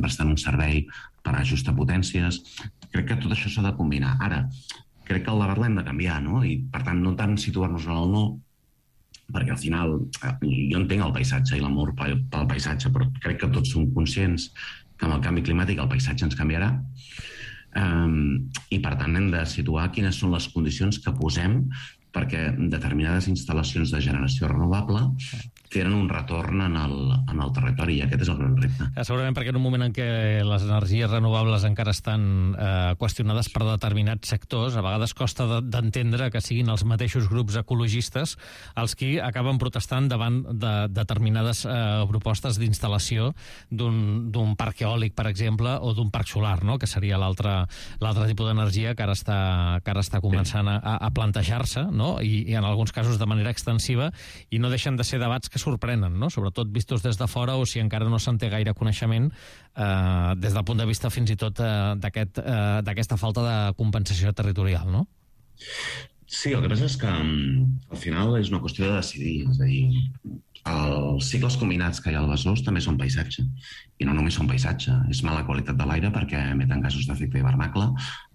estan prestant un servei per ajustar potències. Crec que tot això s'ha de combinar. Ara, crec que el debat l'hem de canviar, no? I, per tant, no tant situar-nos en el no, perquè al final jo entenc el paisatge i l'amor pel paisatge, però crec que tots som conscients que amb el canvi climàtic el paisatge ens canviarà, i per tant hem de situar quines són les condicions que posem perquè determinades instal·lacions de generació renovable tenen un retorn en el territori, i aquest és el gran repte. Segurament perquè en un moment en què les energies renovables encara estan qüestionades per determinats sectors, a vegades costa d'entendre que siguin els mateixos grups ecologistes els qui acaben protestant davant de determinades propostes d'instal·lació d'un parc eòlic, per exemple, o d'un parc solar, no? Que seria l'altre tipus d'energia que ara està començant a plantejar-se, no? I en alguns casos de manera extensiva, i no deixen de ser debats que sorprenen, no? Sobretot vistos des de fora, o si encara no se'n té gaire coneixement des del punt de vista fins i tot d'aquesta falta de compensació territorial, no? Sí, el que passa és que al final és una qüestió de decidir, és a dir, els cicles combinats que hi ha al Besòs també són paisatge, i no només són paisatge, és mala qualitat de l'aire perquè emeten gasos d'efecte hivernacle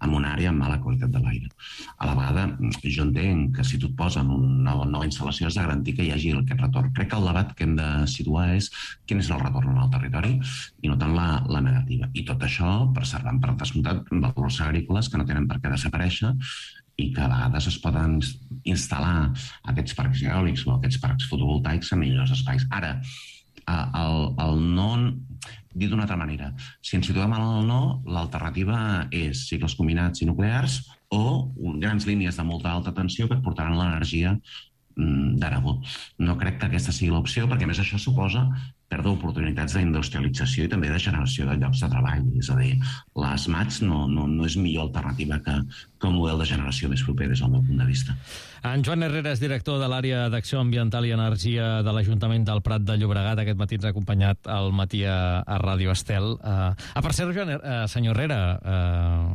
en una àrea amb mala qualitat de l'aire. A la vegada, jo entenc que si tu et poses en una nova instal·lació has de garantir que hi hagi aquest retorn. Crec que el debat que hem de situar és quin és el retorn en el territori i no tant la negativa. I tot això preservant per descomptat valors agrícoles que no tenen per què desaparèixer i que a vegades es poden instal·lar aquests parcs eòlics o aquests parcs fotovoltaics en millors espais. Ara, el no, dit d'una altra manera, si ens situem en el no, l'alternativa és cicles combinats i nuclears o grans línies de molta alta tensió que et portaran l'energia d'Aragó. No crec que aquesta sigui l'opció, perquè a més això suposa perdre oportunitats d'industrialització i també de generació de llocs de treball. És a dir, les mats no és millor alternativa que un model de generació més proper des del meu punt de vista. En Joan Herrera és director de l'àrea d'Acció Ambiental i Energia de l'Ajuntament del Prat de Llobregat. Aquest matí ens ha acompanyat al matí a Ràdio Estel. Per cert, senyor Herrera,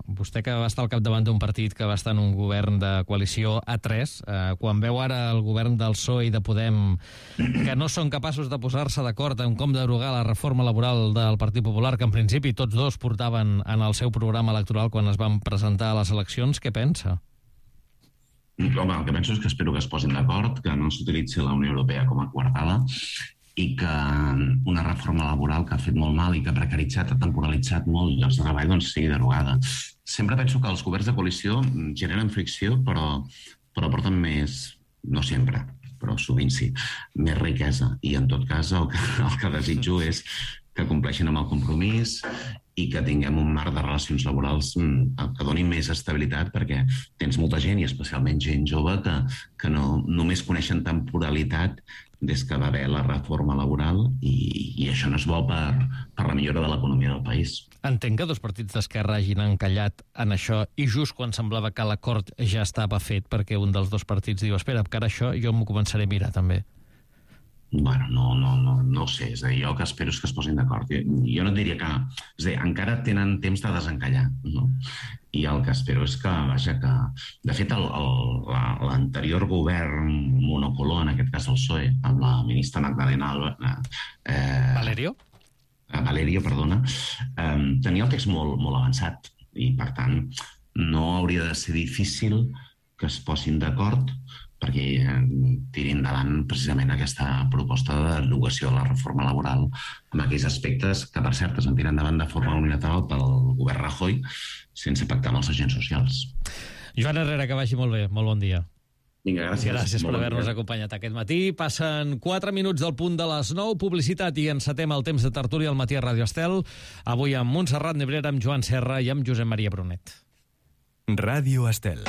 vostè que va estar al capdavant d'un partit que va estar en un govern de coalició A3, quan veu ara el govern del PSOE i de Podem que no són capaços de posar-se d'acord en com derogar la reforma laboral del Partit Popular, que en principi tots dos portaven en el seu programa electoral quan es van presentar a les eleccions, què pensa? Home, el que penso és que espero que es posin d'acord, que no s'utilitzi la Unió Europea com a coartada i que una reforma laboral que ha fet molt mal i que ha precaritzat, ha temporalitzat molt llocs de treball, doncs sigui derogada. Sempre penso que els governs de coalició generen fricció, però porten més, no sempre, però sovint sí, més riquesa. I en tot cas el que desitjo és que compleixin amb el compromís i que tinguem un marc de relacions laborals que doni més estabilitat, perquè tens molta gent, i especialment gent jove, que no només coneixen temporalitat des que va haver la reforma laboral, i això no és bo per la millora de l'economia del país. Entenc que dos partits d'esquerra hagin encallat en això i just quan semblava que l'acord ja estava fet, perquè un dels dos partits diu espera, que ara això jo m'ho començaré a mirar també. Bueno, no ho sé, és a dir, jo el que espero és que es posin d'acord. Jo no et diria que... És a dir, encara tenen temps de desencallar, no? I el que espero és que, vaja, que... De fet, l'anterior govern monocolor, en aquest cas el PSOE, amb la ministra Magdalena Valerio, perdona, tenia el text molt avançat i, per tant, no hauria de ser difícil que es posin d'acord perquè tiri endavant precisament aquesta proposta de derogació de la reforma laboral amb aquells aspectes que, per cert, es van tirar endavant de forma unilateral pel govern Rajoy sense pactar amb els agents socials. Joan Herrera, que vagi molt bé. Molt bon dia. Vinga, gràcies. Gràcies per haver-nos acompanyat aquest matí. Passen 4 minuts del punt de les 9. Publicitat i encetem el temps de tertúlia al matí a Ràdio Estel. Avui amb Montserrat Nebrera, amb Joan Serra i amb Josep Maria Brunet. Ràdio Estel.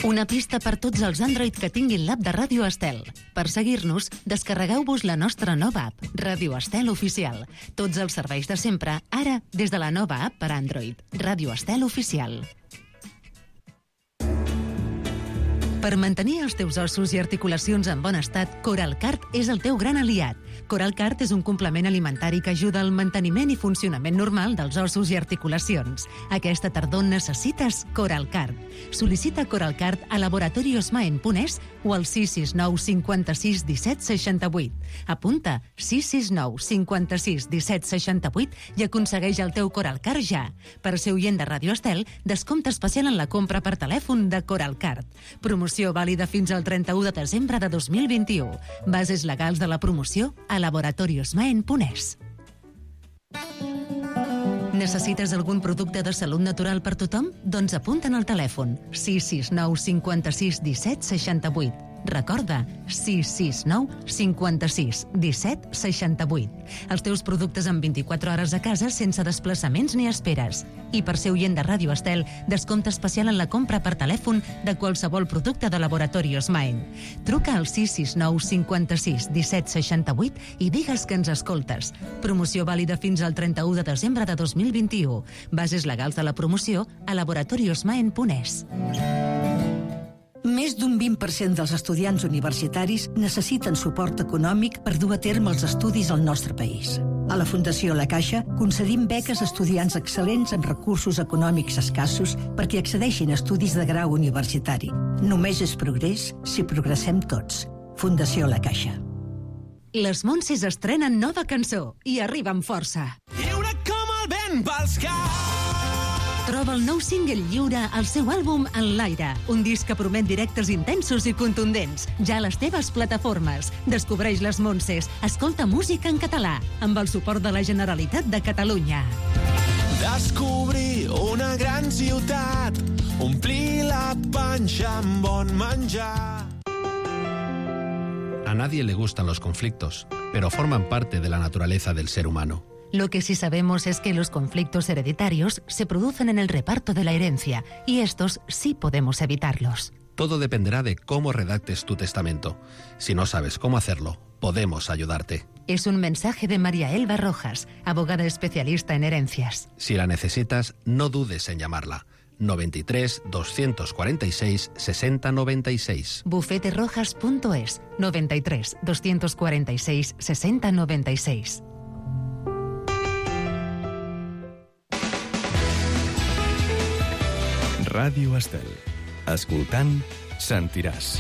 Una pista per tots els Android que tinguin l'app de Ràdio Estel. Per seguir-nos, descarregueu-vos la nostra nova app, Ràdio Estel Oficial. Tots els serveis de sempre, ara, des de la nova app per Android, Ràdio Estel Oficial. Per mantenir els teus ossos i articulacions en bon estat, Coralcart és el teu gran aliat. Coralcart és un complement alimentari que ajuda al manteniment i funcionament normal dels ossos i articulacions. Aquesta tardor necessites Coralcart. Sol·licita Coralcart a laboratoriosmaen.es o al 669 56 17 68. Apunta 669 56 17 68 i aconsegueix el teu Coralcart ja. Per ser oient de Ràdio Estel, descompte especial en la compra per telèfon de Coralcart. Promoció vàlida fins al 31 de desembre de 2021. Bases legals de la promoció a laboratoriosmaen.es. Necessites algun producte de salut natural per tothom? Doncs apunta'n al telèfon 669 56 17 68. Recorda, 669 56 17 68. Els teus productes en 24 hores a casa sense desplaçaments ni esperes. I per ser oient de Ràdio Estel, descompte especial en la compra per telèfon de qualsevol producte de Laboratorios Maen. Truca al 669 56 17 68 i digues que ens escoltes. Promoció vàlida fins al 31 de desembre de 2021. Bases legals de la promoció a laboratoriosmaen.es. Més d'un 20% dels estudiants universitaris necessiten suport econòmic per dur a terme els estudis al nostre país. A la Fundació La Caixa concedim beques a estudiants excel·lents amb recursos econòmics escassos perquè accedeixin a estudis de grau universitari. Només és progrés si progressem tots. Fundació La Caixa. Les Montses estrenen nova cançó i arriba amb força. Lliure com el vent pels caps. Troba el nou single Lliure al seu àlbum En l'aire, un disc que promet directes intensos i contundents, ja a les teves plataformes. Descobreix les Montses, escolta música en català, amb el suport de la Generalitat de Catalunya. Descobrir una gran ciutat, omplir la panxa amb bon menjar. A nadie le gustan los conflictos, pero forman parte de la naturaleza del ser humano. Lo que sí sabemos es que los conflictos hereditarios se producen en el reparto de la herencia, y estos sí podemos evitarlos. Todo dependerá de cómo redactes tu testamento. Si no sabes cómo hacerlo, podemos ayudarte. Es un mensaje de María Elba Rojas, abogada especialista en herencias. Si la necesitas, no dudes en llamarla. 93 246 60 96. Bufeterojas.es 93 246 60 96. Ràdio Estel. Escoltant, sentiràs.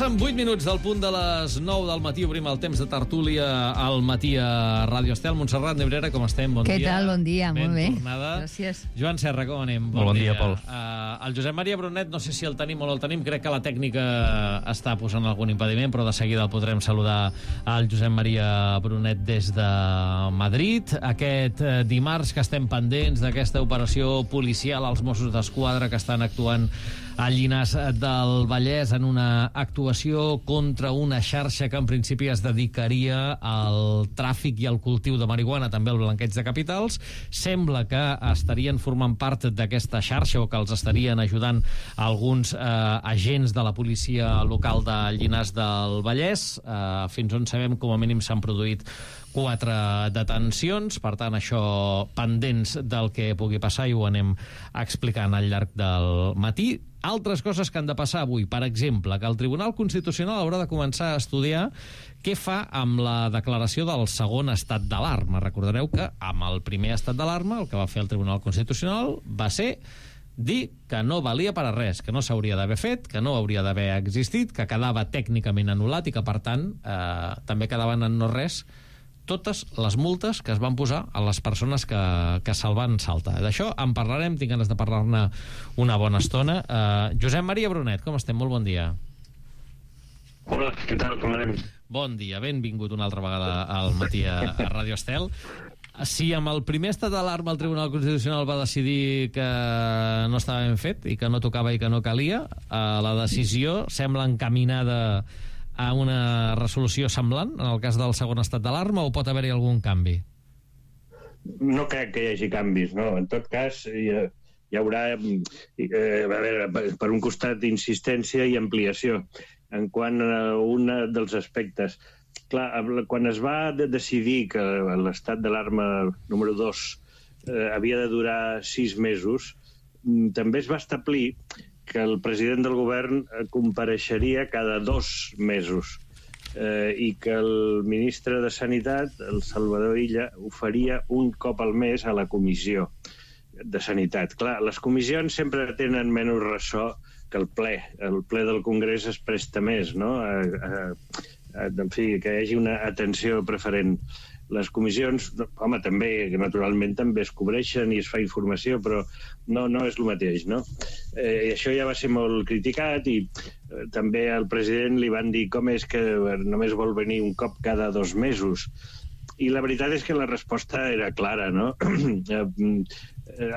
Passen 8 minuts del punt de les 9 del matí. Obrim el temps de tertúlia al matí a Ràdio Estel. Montserrat Nebrera, com estem? Bon dia. Què tal? Bon dia, molt bé. Tornada. Gràcies. Joan Serra, com anem? Molt bon dia, Pol. El Josep Maria Brunet, no sé si el tenim o no el tenim. Crec que la tècnica està posant algun impediment, però de seguida el podrem saludar al Josep Maria Brunet des de Madrid. Aquest dimarts que estem pendents d'aquesta operació policial als Mossos d'Esquadra que estan actuant a Llinars del Vallès en una actuació contra una xarxa que en principi es dedicaria al tràfic i al cultiu de marihuana, també al blanqueig de capitals. Sembla que estarien formant part d'aquesta xarxa o que els estarien ajudant alguns agents de la policia local de Llinars del Vallès. Fins on sabem, com a mínim s'han produït 4 detencions, per tant això pendents del que pugui passar i ho anem explicant al llarg del matí. Altres coses que han de passar avui, per exemple, que el Tribunal Constitucional haurà de començar a estudiar què fa amb la declaració del segon estat d'alarma. Recordareu que amb el primer estat d'alarma el que va fer el Tribunal Constitucional va ser dir que no valia per a res, que no s'hauria d'haver fet, que no hauria d'haver existit, que quedava tècnicament anul·lat i que, per tant, també quedaven en no res totes les multes que es van posar a les persones que se'l van saltar. D'això en parlarem, tinc ganes de parlar-ne una bona estona. Josep Maria Brunet, com estem? Molt bon dia. Hola, què tal? Com anem? Bon dia, benvingut una altra vegada al matí a Ràdio Estel. Si amb el primer estat d'alarma el Tribunal Constitucional va decidir que no estava ben fet i que no tocava i que no calia, la decisió sembla encaminada a una resolució semblant en el cas del segon estat d'alarma, o pot haver-hi algun canvi? No crec que hi hagi canvis, no. En tot cas, hi haurà per un costat insistència i ampliació en quant a un dels aspectes. Clar, quan es va decidir que l'estat d'alarma número 2 havia de durar 6 mesos, també es va establir que el president del govern compareixeria cada 2 mesos i que el ministre de Sanitat, el Salvador Illa, ho faria un cop al mes a la comissió de Sanitat. Clar, les comissions sempre tenen menys ressò que el ple. El ple del Congrés es presta més, no? En fi, que hi hagi una atenció preferent. Les comissions, home, també, naturalment, també es cobreixen i es fa informació, però no és el mateix, no? I això ja va ser molt criticat i també al president li van dir com és que només vol venir un cop cada 2 mesos. I la veritat és que la resposta era clara, no?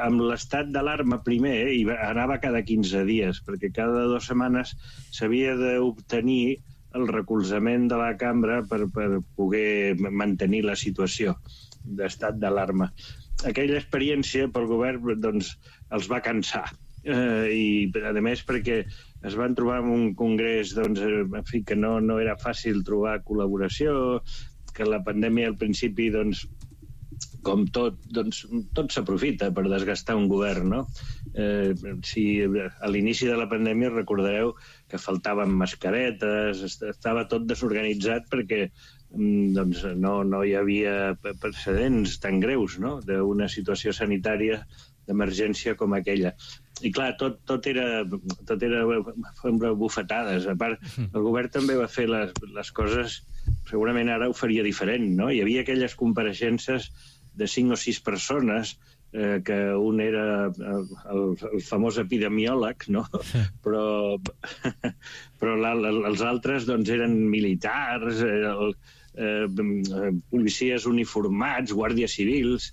Amb l'estat d'alarma primer anava cada 15 dies, perquè cada 2 setmanes s'havia d'obtenir el recolzament de la cambra per poder mantenir la situació d'estat d'alarma. Aquella experiència pel govern doncs, els va cansar. I, a més, perquè es van trobar en un congrés doncs, en fi, que no era fàcil trobar col·laboració, que la pandèmia al principi, doncs, com tot s'aprofita per desgastar un govern, no? Si a l'inici de la pandèmia recordareu que faltaven mascaretes, estava tot desorganitzat perquè doncs, no hi havia precedents tan greus, no?, d'una situació sanitària d'emergència com aquella. I clar, tot era bufetades. A part, el govern també va fer les coses, segurament ara ho faria diferent, no? Hi havia aquelles compareixences de 5 o 6 persones, que un era el famós epidemiòleg, no? Però els altres doncs, eren militars, policies uniformats, guàrdies civils,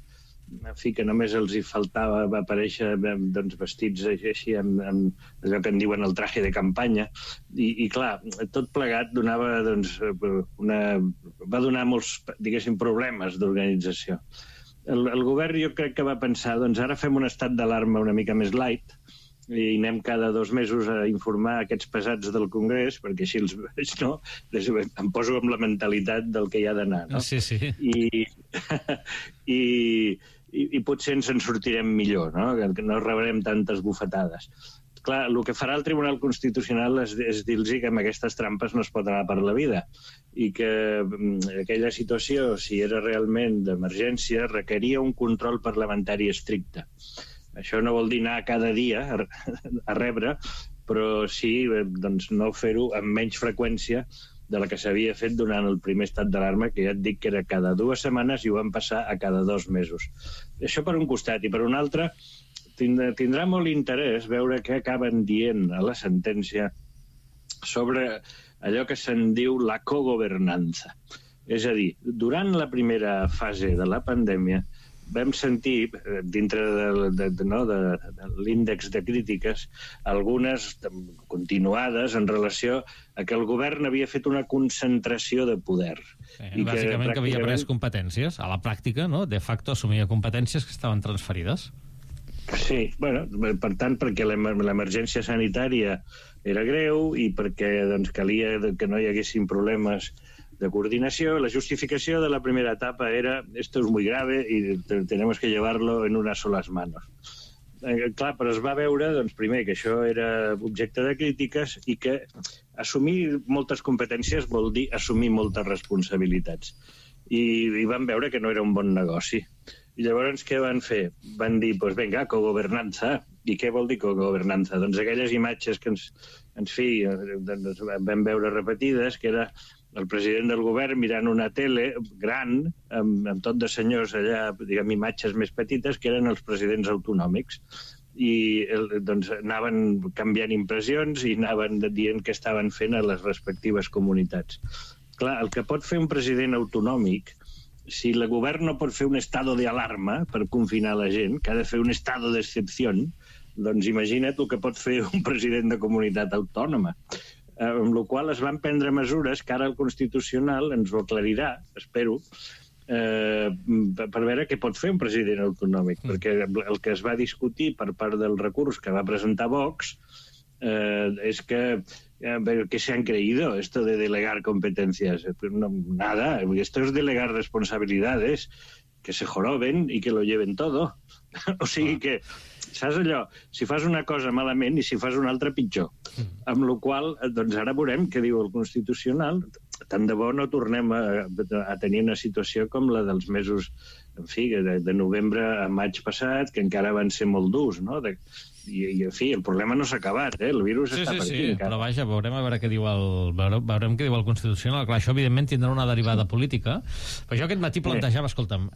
en fi, que només els hi faltava aparèixer doncs, vestits així amb allò que en diuen el traje de campanya. I clar, tot plegat donava, doncs, va donar molts, diguéssim, problemes d'organització. El govern jo crec que va pensar, doncs ara fem un estat d'alarma una mica més light i anem cada 2 mesos a informar aquests pesats del Congrés, perquè així els veig, no? Em poso amb la mentalitat del que hi ha d'anar, no? Sí. I potser ens en sortirem millor, no? Que no rebrem tantes bufetades. Clar, el que farà el Tribunal Constitucional és dir-los que amb aquestes trampes no es pot anar per la vida i que aquella situació, si era realment d'emergència, requeria un control parlamentari estricte. Això no vol dir anar cada dia a rebre, però sí doncs, no fer-ho amb menys freqüència de la que s'havia fet durant el primer estat d'alarma, que ja et dic que era cada 2 setmanes i ho van passar a cada 2 mesos. Això per un costat. I per un altre, tindrà molt interès veure què acaben dient a la sentència sobre allò que se'n diu la cogovernança. És a dir, durant la primera fase de la pandèmia vam sentir, dintre de l'índex de crítiques, algunes continuades en relació a que el govern havia fet una concentració de poder. Bàsicament que havia pres competències. A la pràctica, no? De facto assumia competències que estaven transferides. Sí, bueno, per tant, perquè l'emergència sanitària era greu i perquè doncs, calia que no hi haguessin problemes de coordinació. La justificació de la primera etapa era esto es muy grave y tenemos que llevarlo en unas solas manos. Clar, però es va veure, doncs, primer, que això era objecte de crítiques i que assumir moltes competències vol dir assumir moltes responsabilitats. I van veure que no era un bon negoci. I llavors què van fer? Van dir, doncs vinga, cogovernança. I què vol dir cogovernança? Doncs aquelles imatges que ens vam veure repetides, que era el president del govern mirant una tele gran, amb tot de senyors allà, diguem, imatges més petites, que eren els presidents autonòmics. I doncs anaven canviant impressions i anaven dient què estaven fent a les respectives comunitats. Clar, el que pot fer un president autonòmic, si el govern no pot fer un estado de alarma per confinar la gent, que ha de fer un estado d'excepció, doncs imagina't el que pot fer un president de comunitat autònoma. Amb la qual es van prendre mesures que ara el Constitucional ens ho aclarirà, espero, per veure què pot fer un president autonòmic, perquè el que es va discutir per part del recurs que va presentar Vox es que ¿qué se han creído esto de delegar competencias? No, nada, esto es delegar responsabilidades, que se joroben y que lo lleven todo. O sigui que, saps allò? Si fas una cosa malament i si fas una altra pitjor. Amb la qual cosa, doncs ara veurem què diu el Constitucional. Tant de bo no tornem a tenir una situació com la dels mesos, en fi, de novembre a maig passat, que encara van ser molt durs, no? I en fi, el problema no s'ha acabat, el virus està per aquí. Sí, però vaja, veurem a veure què diu el Constitucional. Clar, això evidentment tindrà una derivada política, però jo aquest matí plantejava, escolta'm,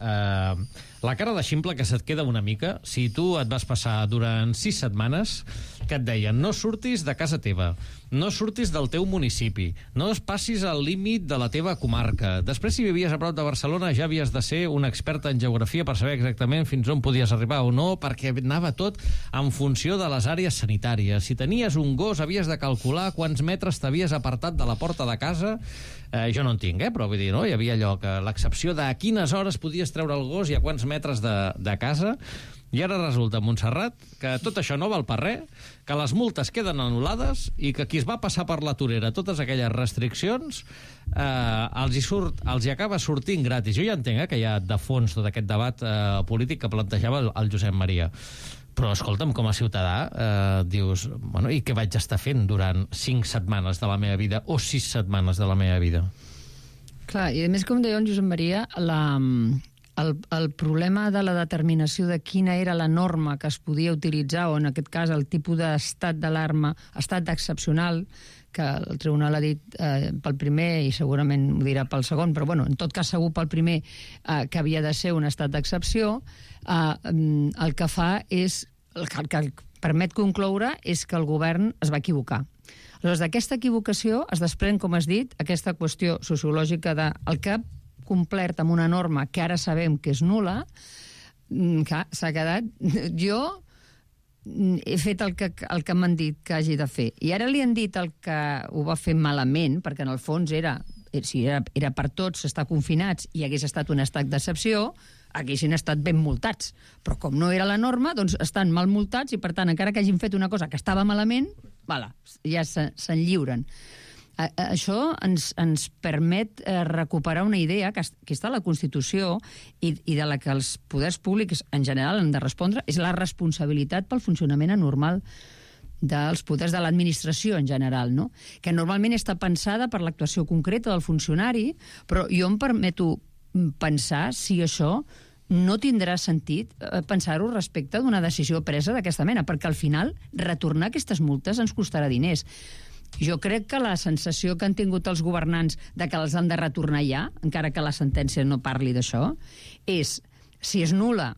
la cara de ximple que se't queda una mica, si tu et vas passar durant 6 setmanes que et deien no surtis de casa teva, no surtis del teu municipi, no es passis al límit de la teva comarca. Després, si vivies a prop de Barcelona, ja havies de ser un expert en geografia per saber exactament fins on podies arribar o no, perquè anava tot en funció de les àrees sanitàries. Si tenies un gos, havies de calcular quants metres t'havies apartat de la porta de casa. Jo no en tinc, però vull dir, no? Hi havia allò que l'excepció de a quines hores podies treure el gos i a quants metres de casa. I ara resulta, Montserrat, que tot això no val per res, que les multes queden anul·lades i que qui es va passar per la torera totes aquelles restriccions els hi acaba sortint gratis. Jo ja entenc que hi ha de fons tot aquest debat polític que plantejava el Josep Maria. Però, escolta'm, com a ciutadà, dius, bueno, i què vaig estar fent durant 5 setmanes de la meva vida o 6 setmanes de la meva vida? Clar, i a més, com deia el Josep Maria, el problema de la determinació de quina era la norma que es podia utilitzar, o en aquest cas el tipus d'estat d'alarma, estat d'excepcional, que el tribunal ha dit pel primer i segurament ho dirà pel segon, però bueno, en tot cas segur pel primer que havia de ser un estat d'excepció, el que fa és, el que permet concloure és que el govern es va equivocar. Aleshores, d'aquesta equivocació es desprèn, com has dit, aquesta qüestió sociològica de el que ha complert amb una norma que ara sabem que és nul·la, que s'ha quedat... Jo he fet el que m'han dit que hagi de fer. I ara li han dit el que ho va fer malament, perquè en el fons era per tots estar confinats i hagués estat un estat d'excepció, haguessin estat ben multats. Però com no era la norma, doncs estan mal multats i, per tant, encara que hagin fet una cosa que estava malament, ja se'n lliuren. Això ens permet recuperar una idea que està a la Constitució i de la que els poders públics en general han de respondre, és la responsabilitat pel funcionament anormal dels poders de l'administració en general, no? Que normalment està pensada per l'actuació concreta del funcionari, però jo em permeto pensar si això no tindrà sentit pensar-ho respecte d'una decisió presa d'aquesta mena, perquè al final retornar aquestes multes ens costarà diners. Jo crec que la sensació que han tingut els governants de que les han de retornar ja, encara que la sentència no parli d'això, és, si és nul·la,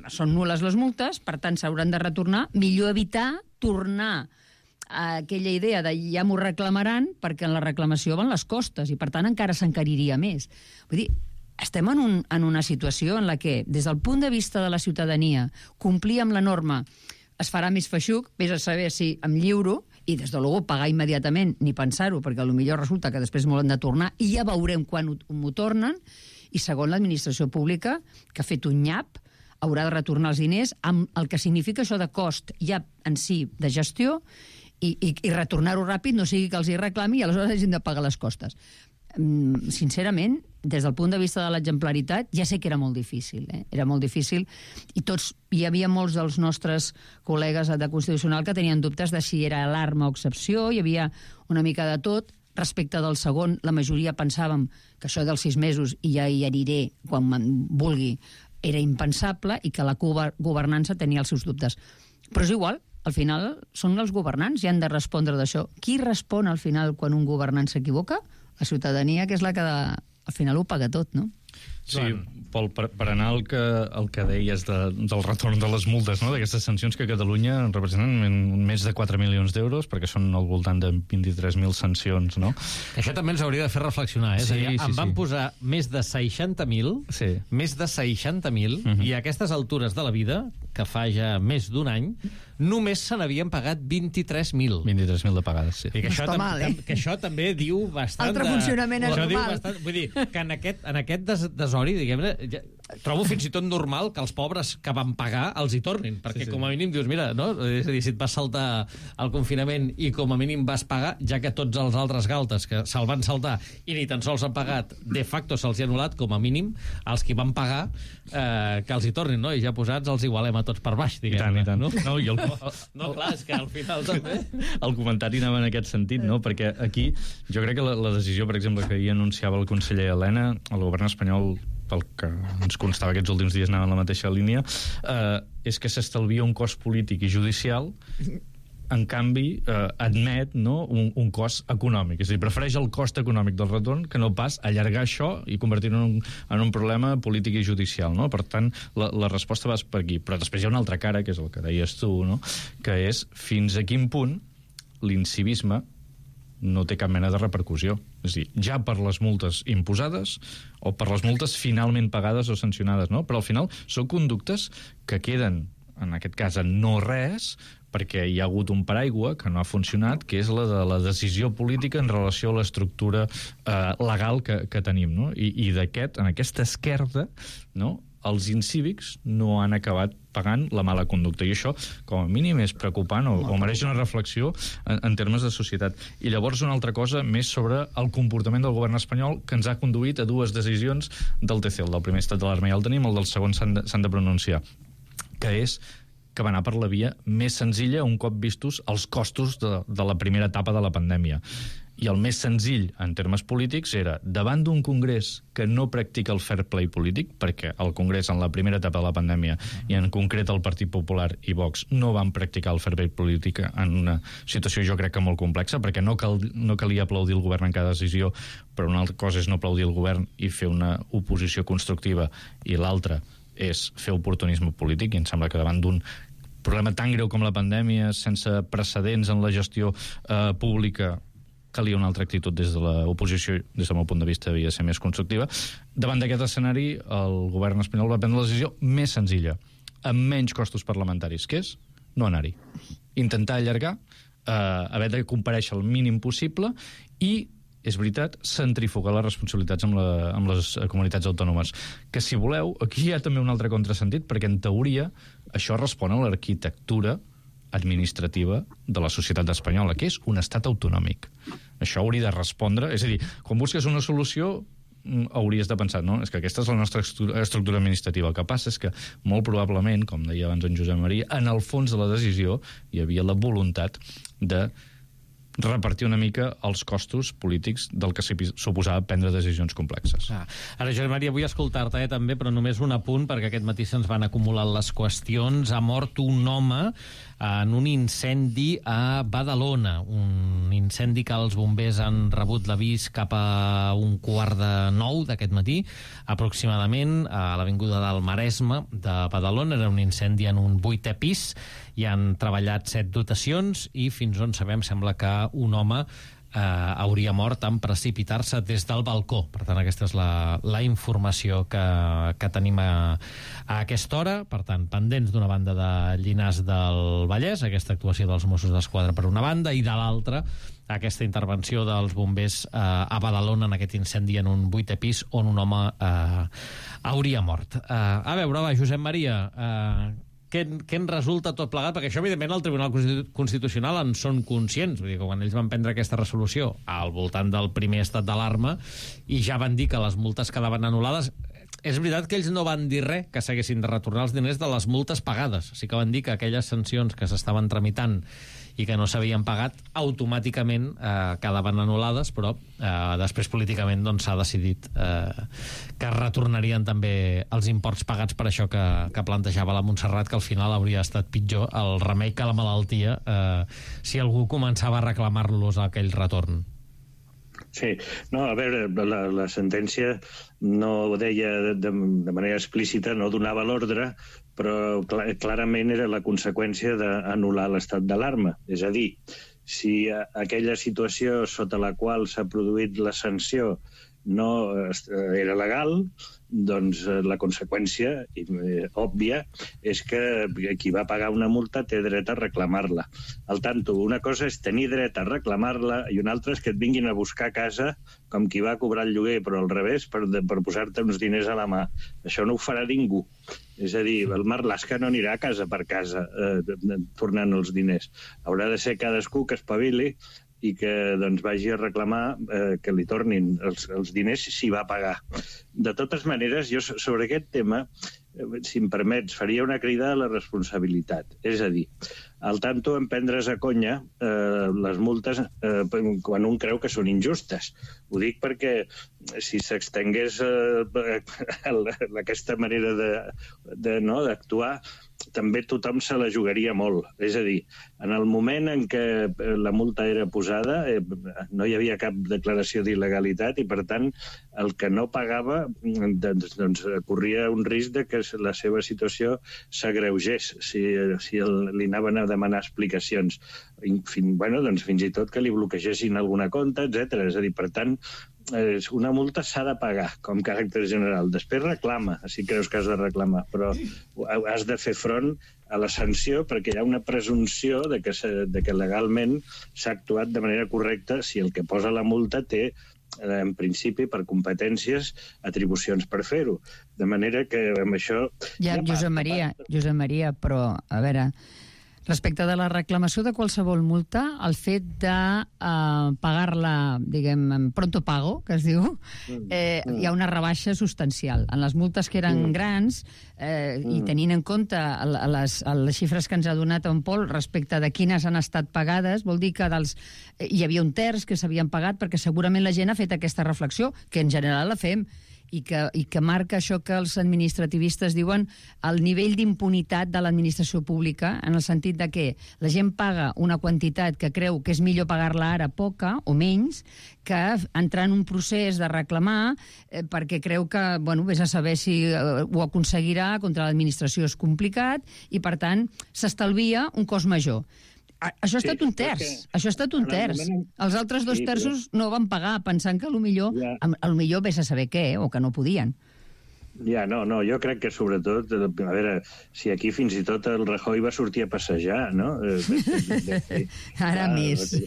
són nul·les les multes, per tant s'hauran de retornar, millor evitar tornar a aquella idea de ja m'ho reclamaran, perquè en la reclamació van les costes i per tant encara s'encariria més. Vull dir, estem en una situació en la que, des del punt de vista de la ciutadania, complir amb la norma es farà més feixuc, vés a saber si em lliuro, i des de luego pagar immediatament, ni pensar-ho, perquè potser resulta que després m'ho han de tornar i ja veurem quan m'ho tornen, i segon, l'administració pública, que ha fet un nyap, haurà de retornar els diners amb el que significa això de cost ja en si de gestió i retornar-ho ràpid, no sigui que els hi reclami i aleshores hagin de pagar les costes. Sincerament, des del punt de vista de l'exemplaritat, ja sé que era molt difícil, era molt difícil, i hi havia molts dels nostres col·legues de Constitucional que tenien dubtes de si era alarma o excepció, hi havia una mica de tot. Respecte del segon, la majoria pensàvem que això dels 6 mesos, i ja hi aniré quan me'n vulgui, era impensable i que la governança tenia els seus dubtes. Però és igual, al final són els governants i han de respondre d'això. Qui respon al final quan un governant s'equivoca? La ciutadania, que és la que al final ho paga tot, no? Sí, Pol, per anar al que deies del retorn de les multes, no? D'aquestes sancions que a Catalunya representen més de 4 milions d'euros, perquè són al voltant de 23.000 sancions, no? Això també ens hauria de fer reflexionar, eh? Sí, em van posar més de 60.000, més de 60.000, i a aquestes altures de la vida, que fa ja més d'un any, només se n'havien pagat 23.000. 23.000 de pagades, sí. I que això també diu bastant... Altre funcionament anormal. Vull dir, que en aquest desori, diguem-ne, trobo fins i tot normal que els pobres que van pagar els hi tornin, perquè com a mínim dius, mira, no? És a dir, si et vas saltar el confinament i com a mínim vas pagar, ja que tots els altres galtes que se'l van saltar i ni tan sols han pagat, de facto se'ls hi ha anul·lat, com a mínim, els qui van pagar, que els hi tornin, no? I ja posats els igualem a tots per baix, diguem-ne. I tant. No? No, clar, és que al final també... El comentari anava en aquest sentit, no? Perquè aquí jo crec que la decisió, per exemple, que ahir anunciava el conseller Elena, el govern espanyol, pel que ens constava aquests últims dies anava en la mateixa línia, és que s'estalvia un cost polític i judicial, en canvi admet, no, un cost econòmic. És a dir, prefereix el cost econòmic del retorn que no pas allargar això i convertir-ho en un problema polític i judicial, no? Per tant, la resposta va per aquí. Però després hi ha una altra cara, que és el que deies tu, no? Que és fins a quin punt l'incivisme no té cap mena de repercussió. És a dir, ja per les multes imposades o per les multes finalment pagades o sancionades, no? Però al final són conductes que queden, en aquest cas, en no res, perquè hi ha hagut un paraigua que no ha funcionat, que és la de la decisió política en relació a l'estructura legal que tenim, no? I en aquesta esquerda, no?, els incívics no han acabat pagant la mala conducta. I això, com a mínim, és preocupant o mereix una reflexió en termes de societat. I llavors una altra cosa més sobre el comportament del govern espanyol que ens ha conduït a dues decisions del TC. El del primer estat d'alarma ja el tenim, el del segon s'han de pronunciar, que és que va anar per la via més senzilla un cop vistos els costos de la primera etapa de la pandèmia. I el més senzill, en termes polítics, era, davant d'un Congrés que no practica el fair play polític, perquè el Congrés, en la primera etapa de la pandèmia, i en concret el Partit Popular i Vox, no van practicar el fair play polític en una situació, jo crec que molt complexa, perquè no calia aplaudir el govern en cada decisió, però una altra cosa és no aplaudir el govern i fer una oposició constructiva, i l'altra és fer oportunisme polític, i em sembla que davant d'un problema tan greu com la pandèmia, sense precedents en la gestió pública, calia una altra actitud des de l'oposició, des del meu punt de vista havia de ser més constructiva. Davant d'aquest escenari, el govern espanyol va prendre la decisió més senzilla, amb menys costos parlamentaris, que és no anar-hi. Intentar allargar, haver de comparèixer el mínim possible i, és veritat, centrifugar les responsabilitats amb les comunitats autònomes. Que, si voleu, aquí hi ha també un altre contrasentit, perquè, en teoria, això respon a l'arquitectura administrativa de la societat espanyola, que és un estat autonòmic. Això hauria de respondre... És a dir, quan busques una solució, hauries de pensar, no? És que aquesta és la nostra estructura administrativa. El que passa és que, molt probablement, com deia abans en Josep Maria, en el fons de la decisió hi havia la voluntat de repartir una mica els costos polítics del que suposava prendre decisions complexes. Ara, Josep Maria, vull escoltar-te també, però només un apunt, perquè aquest matí se'ns van acumulant les qüestions. Ha mort un home en un incendi a Badalona, un incendi que els bombers han rebut l'avís cap a 8:45 d'aquest matí, aproximadament, a l'avinguda del Maresme de Badalona. Era un incendi en un 8è pis, hi han treballat 7 dotacions i fins on sabem sembla que un home hauria mort en precipitar-se des del balcó. Per tant, aquesta és la informació que tenim a aquesta hora. Per tant, pendents d'una banda de Llinars del Vallès, aquesta actuació dels Mossos d'Esquadra per una banda, i de l'altra aquesta intervenció dels bombers a Badalona en aquest incendi en un 8è pis on un home hauria mort. A veure, va, Josep Maria, què en resulta tot plegat? Perquè això, evidentment, el Tribunal Constitucional en són conscients. Vull dir que quan ells van prendre aquesta resolució al voltant del primer estat d'alarma i ja van dir que les multes quedaven anul·lades, és veritat que ells no van dir res que s'haguessin de retornar els diners de les multes pagades. Sí que van dir que aquelles sancions que s'estaven tramitant i que no s'havien pagat, automàticament quedaven anul·lades, però després políticament s'ha decidit que es retornarien també els imports pagats per això que plantejava la Montserrat, que al final hauria estat pitjor el remei que la malaltia si algú començava a reclamar-los aquell retorn. Sí, no, a veure, la sentència no ho deia de manera explícita, no donava l'ordre, però clarament era la conseqüència d'anul·lar l'estat d'alarma. És a dir, si aquella situació sota la qual s'ha produït la sanció no era legal, doncs la conseqüència òbvia és que qui va pagar una multa té dret a reclamar-la. Al tanto, una cosa és tenir dret a reclamar-la i una altra és que et vinguin a buscar a casa com qui va cobrar el lloguer, però al revés, per posar-te uns diners a la mà. Això no ho farà ningú. És a dir, el Marlaska no anirà casa per casa tornant els diners. Haurà de ser cadascú que espavili i que doncs, vagi a reclamar que li tornin els diners si va pagar. De totes maneres, jo sobre aquest tema, si em permets, faria una crida a la responsabilitat. És a dir, al tanto en prendre's a conya les multes quan un creu que són injustes. Ho dic perquè si s'extengués aquesta manera d'actuar, també tothom se la jugaria molt. És a dir, en el moment en què la multa era posada no hi havia cap declaració d'il·legalitat i, per tant, el que no pagava doncs corria un risc de que la seva situació s'agreugés si li anaven a demanar explicacions. Fins i tot que li bloquegessin alguna compte, etc. És a dir, per tant, una multa s'ha de pagar com caràcter general. Després reclama, si creus que has de reclamar, però has de fer front a la sanció perquè hi ha una presumpció de que legalment s'ha actuat de manera correcta si el que posa la multa té, en principi, per competències, atribucions per fer-ho. De manera que amb això... Josep Maria, però, a veure, respecte de la reclamació de qualsevol multa, el fet de pagar-la, diguem, en pronto pago, que es diu, hi ha una rebaixa substancial. En les multes que eren grans, i tenint en compte les xifres que ens ha donat en Pol respecte de quines han estat pagades, vol dir que hi havia un terç que s'havien pagat perquè segurament la gent ha fet aquesta reflexió, que en general la fem, i que marca això que els administrativistes diuen el nivell d'impunitat de l'administració pública, en el sentit de que la gent paga una quantitat que creu que és millor pagar-la ara poca o menys que entrar en un procés de reclamar perquè creu que, vés a saber si ho aconseguirà, contra l'administració és complicat i, per tant, s'estalvia un cost major. Això ha estat un terç. Els altres 2 terços no van pagar pensant que potser vés a saber què, o que no podien. No, jo crec que sobretot, a veure, si aquí fins i tot el Rajoy va sortir a passejar, no? Ara més.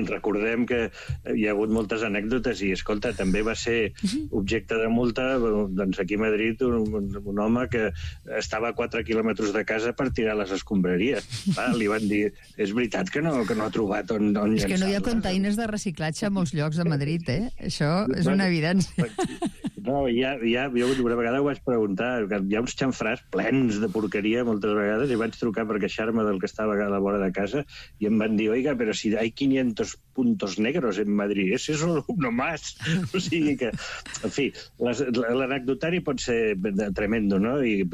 Recordem que hi ha hagut moltes anècdotes i, escolta, també va ser objecte de multa, doncs aquí a Madrid, un home que estava a 4 quilòmetres de casa per tirar les escombraries. Li van dir, és veritat que no ha trobat on llançar-la. És que no hi ha containers de reciclatge a molts llocs de Madrid, Això és una evidència. No, jo una vegada ho vaig preguntar, hi ha uns xamfrars plens de porqueria moltes vegades i vaig trucar per queixar-me del que estava a la vora de casa i em van dir, oiga, però si hay 500 puntos negros en Madrid, ese es uno más. O sigui que, en fi, l'anecdotari pot ser tremendo, no? I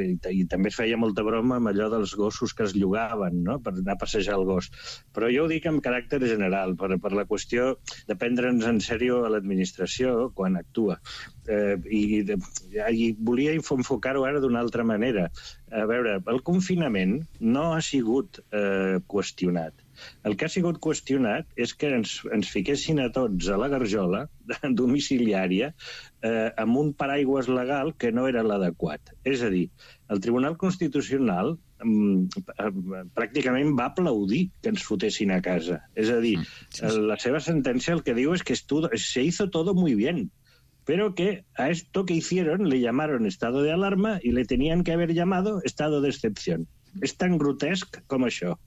també es feia molta broma amb allò dels gossos que es llogaven, no?, per anar a passejar el gos. Però jo ho dic amb caràcter general, per la qüestió de prendre'ns en sèrio a l'administració quan actua. I volia enfocar-ho ara d'una altra manera. A veure, el confinament no ha sigut qüestionat. El que ha sigut qüestionat és que ens fiquessin a tots a la garjola domiciliària amb un paraigües legal que no era l'adequat. És a dir, el Tribunal Constitucional pràcticament va aplaudir que ens fotessin a casa. És a dir, la seva sentència el que diu és que se hizo todo muy bien, pero que a esto que hicieron le llamaron estado de alarma y le tenían que haber llamado estado de excepción. És tan grotesc com això.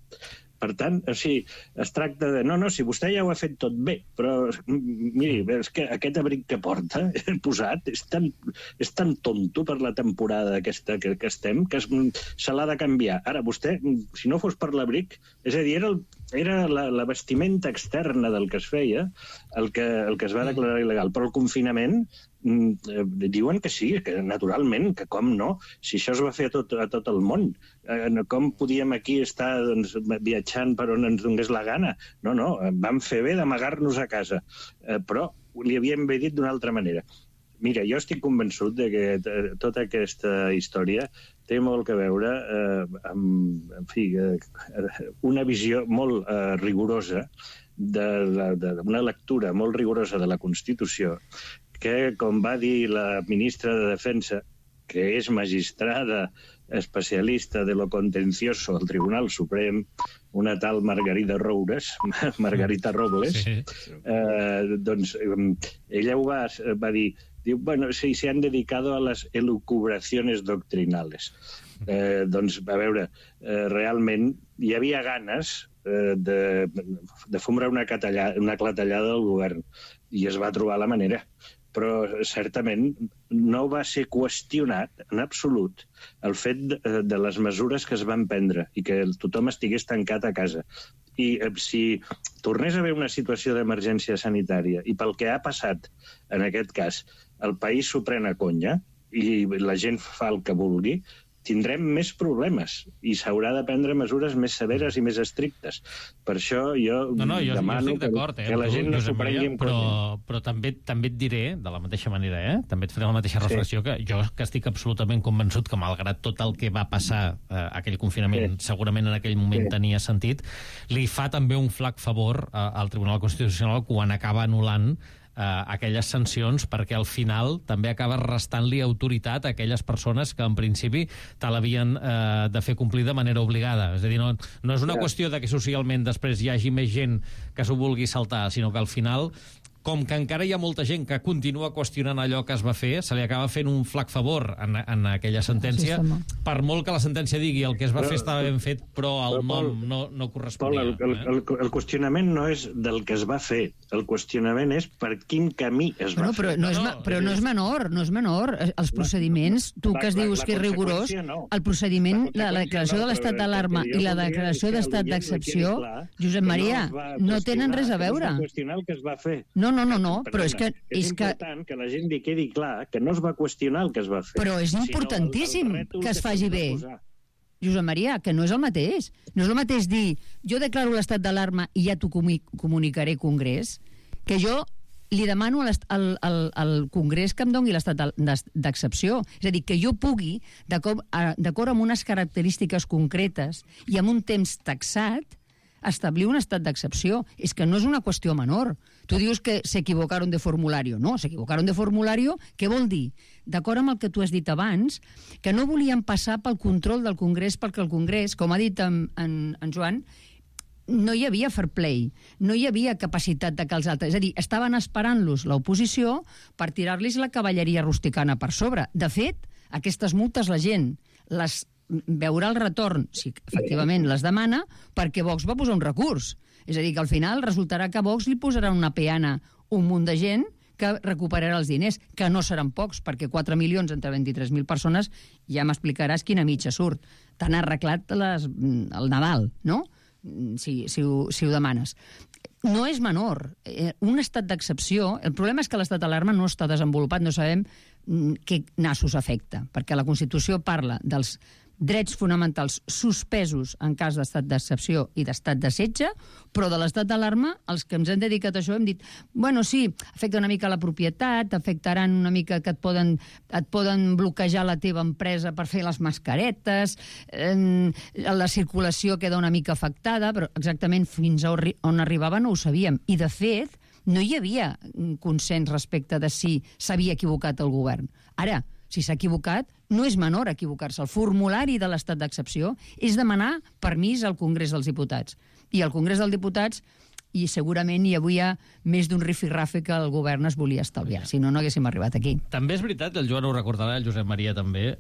Per tant, es tracta de... No, si vostè ja ho ha fet tot bé, però, miri, és que aquest abric que porta, posat, és tan tonto per la temporada aquesta que estem, que se l'ha de canviar. Ara, vostè, si no fos per l'abric, és a dir, era era la vestimenta externa del que es feia el que es va declarar il·legal. Però el confinament diuen que sí, que naturalment, que com no, si això es va fer a tot el món. Com podíem aquí estar viatjant per on ens donés la gana? No, vam fer bé d'amagar-nos a casa. Però li havíem bé dit d'una altra manera. Mira, jo estic convençut de que tota aquesta història té molt a veure amb una visió molt rigorosa, una lectura molt rigorosa de la Constitució, que, com va dir la ministra de Defensa, que és magistrada especialista de lo contencioso al Tribunal Suprem, una tal Margarita Robles, doncs ella va dir, bueno, sí, se han dedicado a las elucubraciones doctrinales. Doncs, a veure, realment hi havia ganes de fumar una clatellada del govern i es va trobar la manera. Però certament no va ser qüestionat en absolut el fet de les mesures que es van prendre i que tothom estigués tancat a casa. I si tornés a haver una situació d'emergència sanitària i pel que ha passat en aquest cas, el país s'ho pren a conya i la gent fa el que vulgui, tindrem més problemes i s'haurà de prendre mesures més severes i més estrictes. Per això jo demano que la gent no s'ho prengui en conya. Però també et diré, de la mateixa manera, també et faré la mateixa reflexió, que jo que estic absolutament convençut que malgrat tot el que va passar aquell confinament, segurament en aquell moment tenia sentit, li fa també un flac favor al Tribunal Constitucional quan acaba anul·lant aquelles sancions, perquè al final també acaba restant-li autoritat a aquelles persones que en principi te l'havien de fer complir de manera obligada. És a dir, no és una qüestió de que socialment després hi hagi més gent que s'ho vulgui saltar, sinó que al final, com que encara hi ha molta gent que continua qüestionant allò que es va fer, se li acaba fent un flac favor en aquella sentència, per molt que la sentència digui el que es va fer estava ben fet, però el nom no corresponia. Pol, el qüestionament no és del que es va fer, el qüestionament és per quin camí es va fer. Però no és menor. Els procediments, tu que es dius que és rigorós, el procediment, la declaració de l'estat d'alarma i la declaració d'estat d'excepció, Josep Maria, no tenen res a veure. És qüestionar el que es va fer. No, però és que... És important que la gent li quedi clar que no es va qüestionar el que es va fer. Però és importantíssim que es faci bé. Josep Maria, que no és el mateix. No és el mateix dir, jo declaro l'estat d'alarma i ja t'ho comunicaré al Congrés, que jo li demano al Congrés que em doni l'estat d'excepció. És a dir, que jo pugui, d'acord amb unes característiques concretes i amb un temps taxat, establir un estat d'excepció. És que no és una qüestió menor. Tu dius que s'equivocaron de formulario. No, s'equivocaron de formulario, què vol dir? D'acord amb el que tu has dit abans, que no volien passar pel control del Congrés, perquè el Congrés, com ha dit en Joan, no hi havia fair play, no hi havia capacitat de que els altres... És a dir, estaven esperant-los l'oposició per tirar-los la cavalleria rusticana per sobre. De fet, aquestes multes la gent les veurà el retorn, si efectivament les demana, perquè Vox va posar un recurs. És a dir, que al final resultarà que Vox li posarà una peana un munt de gent que recuperarà els diners, que no seran pocs, perquè 4 milions entre 23.000 persones ja m'explicaràs quina mitja surt. T'han arreglat el Nadal, no? Si ho demanes. No és menor. Un estat d'excepció... El problema és que l'estat d'alarma no està desenvolupat, no sabem què nassos afecta, perquè la Constitució parla dels drets fonamentals suspesos en cas d'estat d'excepció i d'estat de setge, però de l'estat d'alarma, els que ens hem dedicat a això hem dit, bueno, sí, afecta una mica la propietat, afectaran una mica que et poden bloquejar la teva empresa per fer les mascaretes, la circulació queda una mica afectada, però exactament fins on arribava no ho sabíem. I, de fet, no hi havia consens respecte de si s'havia equivocat el govern. Ara, si s'ha equivocat, no és menor equivocar-se. El formulari de l'estat d'excepció és demanar permís al Congrés dels Diputats. I al Congrés dels Diputats, i segurament hi havia més d'un rifirrafe que el govern es volia estalviar, si no, no haguéssim arribat aquí. També és veritat, el Joan ho recordarà, el Josep Maria també,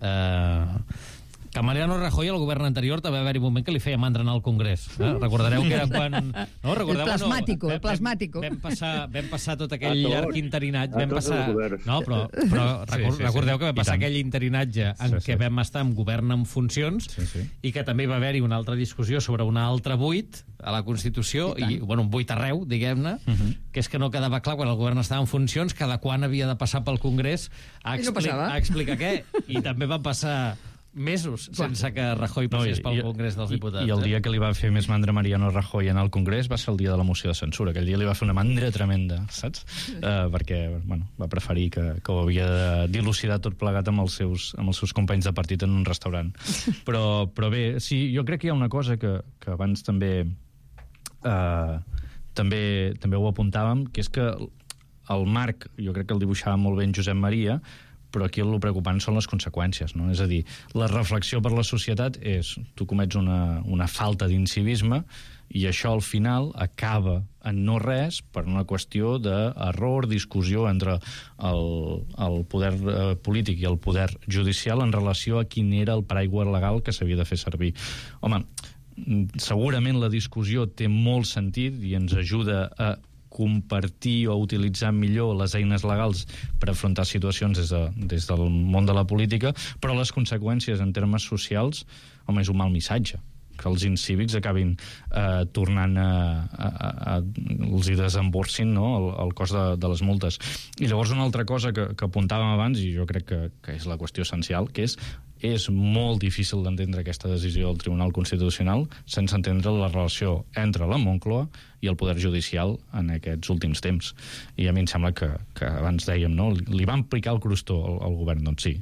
Que Mariano Rajoy, al govern anterior, també va haver-hi un moment que li feia mandra anar al Congrés. Recordareu que era quan... No, recordeu, el plasmàtico. Vam passar tot aquell llarg interinatge. No, però recordeu que va passar aquell interinatge en què vam estar en govern en funcions i que també va haver-hi una altra discussió sobre un altre buit a la Constitució, i un buit arreu, diguem-ne, que és que no quedava clar quan el govern estava en funcions cada quan havia de passar pel Congrés a explicar què. I també va passar mesos sense que Rajoy passés pel Congrés dels Diputats. I el dia que li va fer més mandra Mariano Rajoy en el Congrés va ser el dia de la moció de censura. Aquell dia li va fer una mandra tremenda, saps? Perquè va preferir que ho havia de dilucidar tot plegat amb els seus companys de partit en un restaurant. Però bé, sí, jo crec que hi ha una cosa que abans també ho apuntàvem, que és que el marc, jo crec que el dibuixava molt bé en Josep Maria, però aquí el preocupant són les conseqüències, no? És a dir, la reflexió per la societat és tu comets una falta d'incivisme i això al final acaba en no res per una qüestió d'error, discussió entre el poder polític i el poder judicial en relació a quin era el paraigua legal que s'havia de fer servir. Home, segurament la discussió té molt sentit i ens ajuda a compartir o utilitzar millor les eines legals per afrontar situacions des del món de la política, però les conseqüències en termes socials, home, és un mal missatge que els incívics acabin tornant els hi desemborsin, no?, el cost de les multes. I llavors una altra cosa que apuntàvem abans, i jo crec que és la qüestió essencial, que és molt difícil d'entendre aquesta decisió del Tribunal Constitucional sense entendre la relació entre la Moncloa i el Poder Judicial en aquests últims temps. I a mi em sembla que abans dèiem, no?, li van picar el crostó al govern, doncs sí.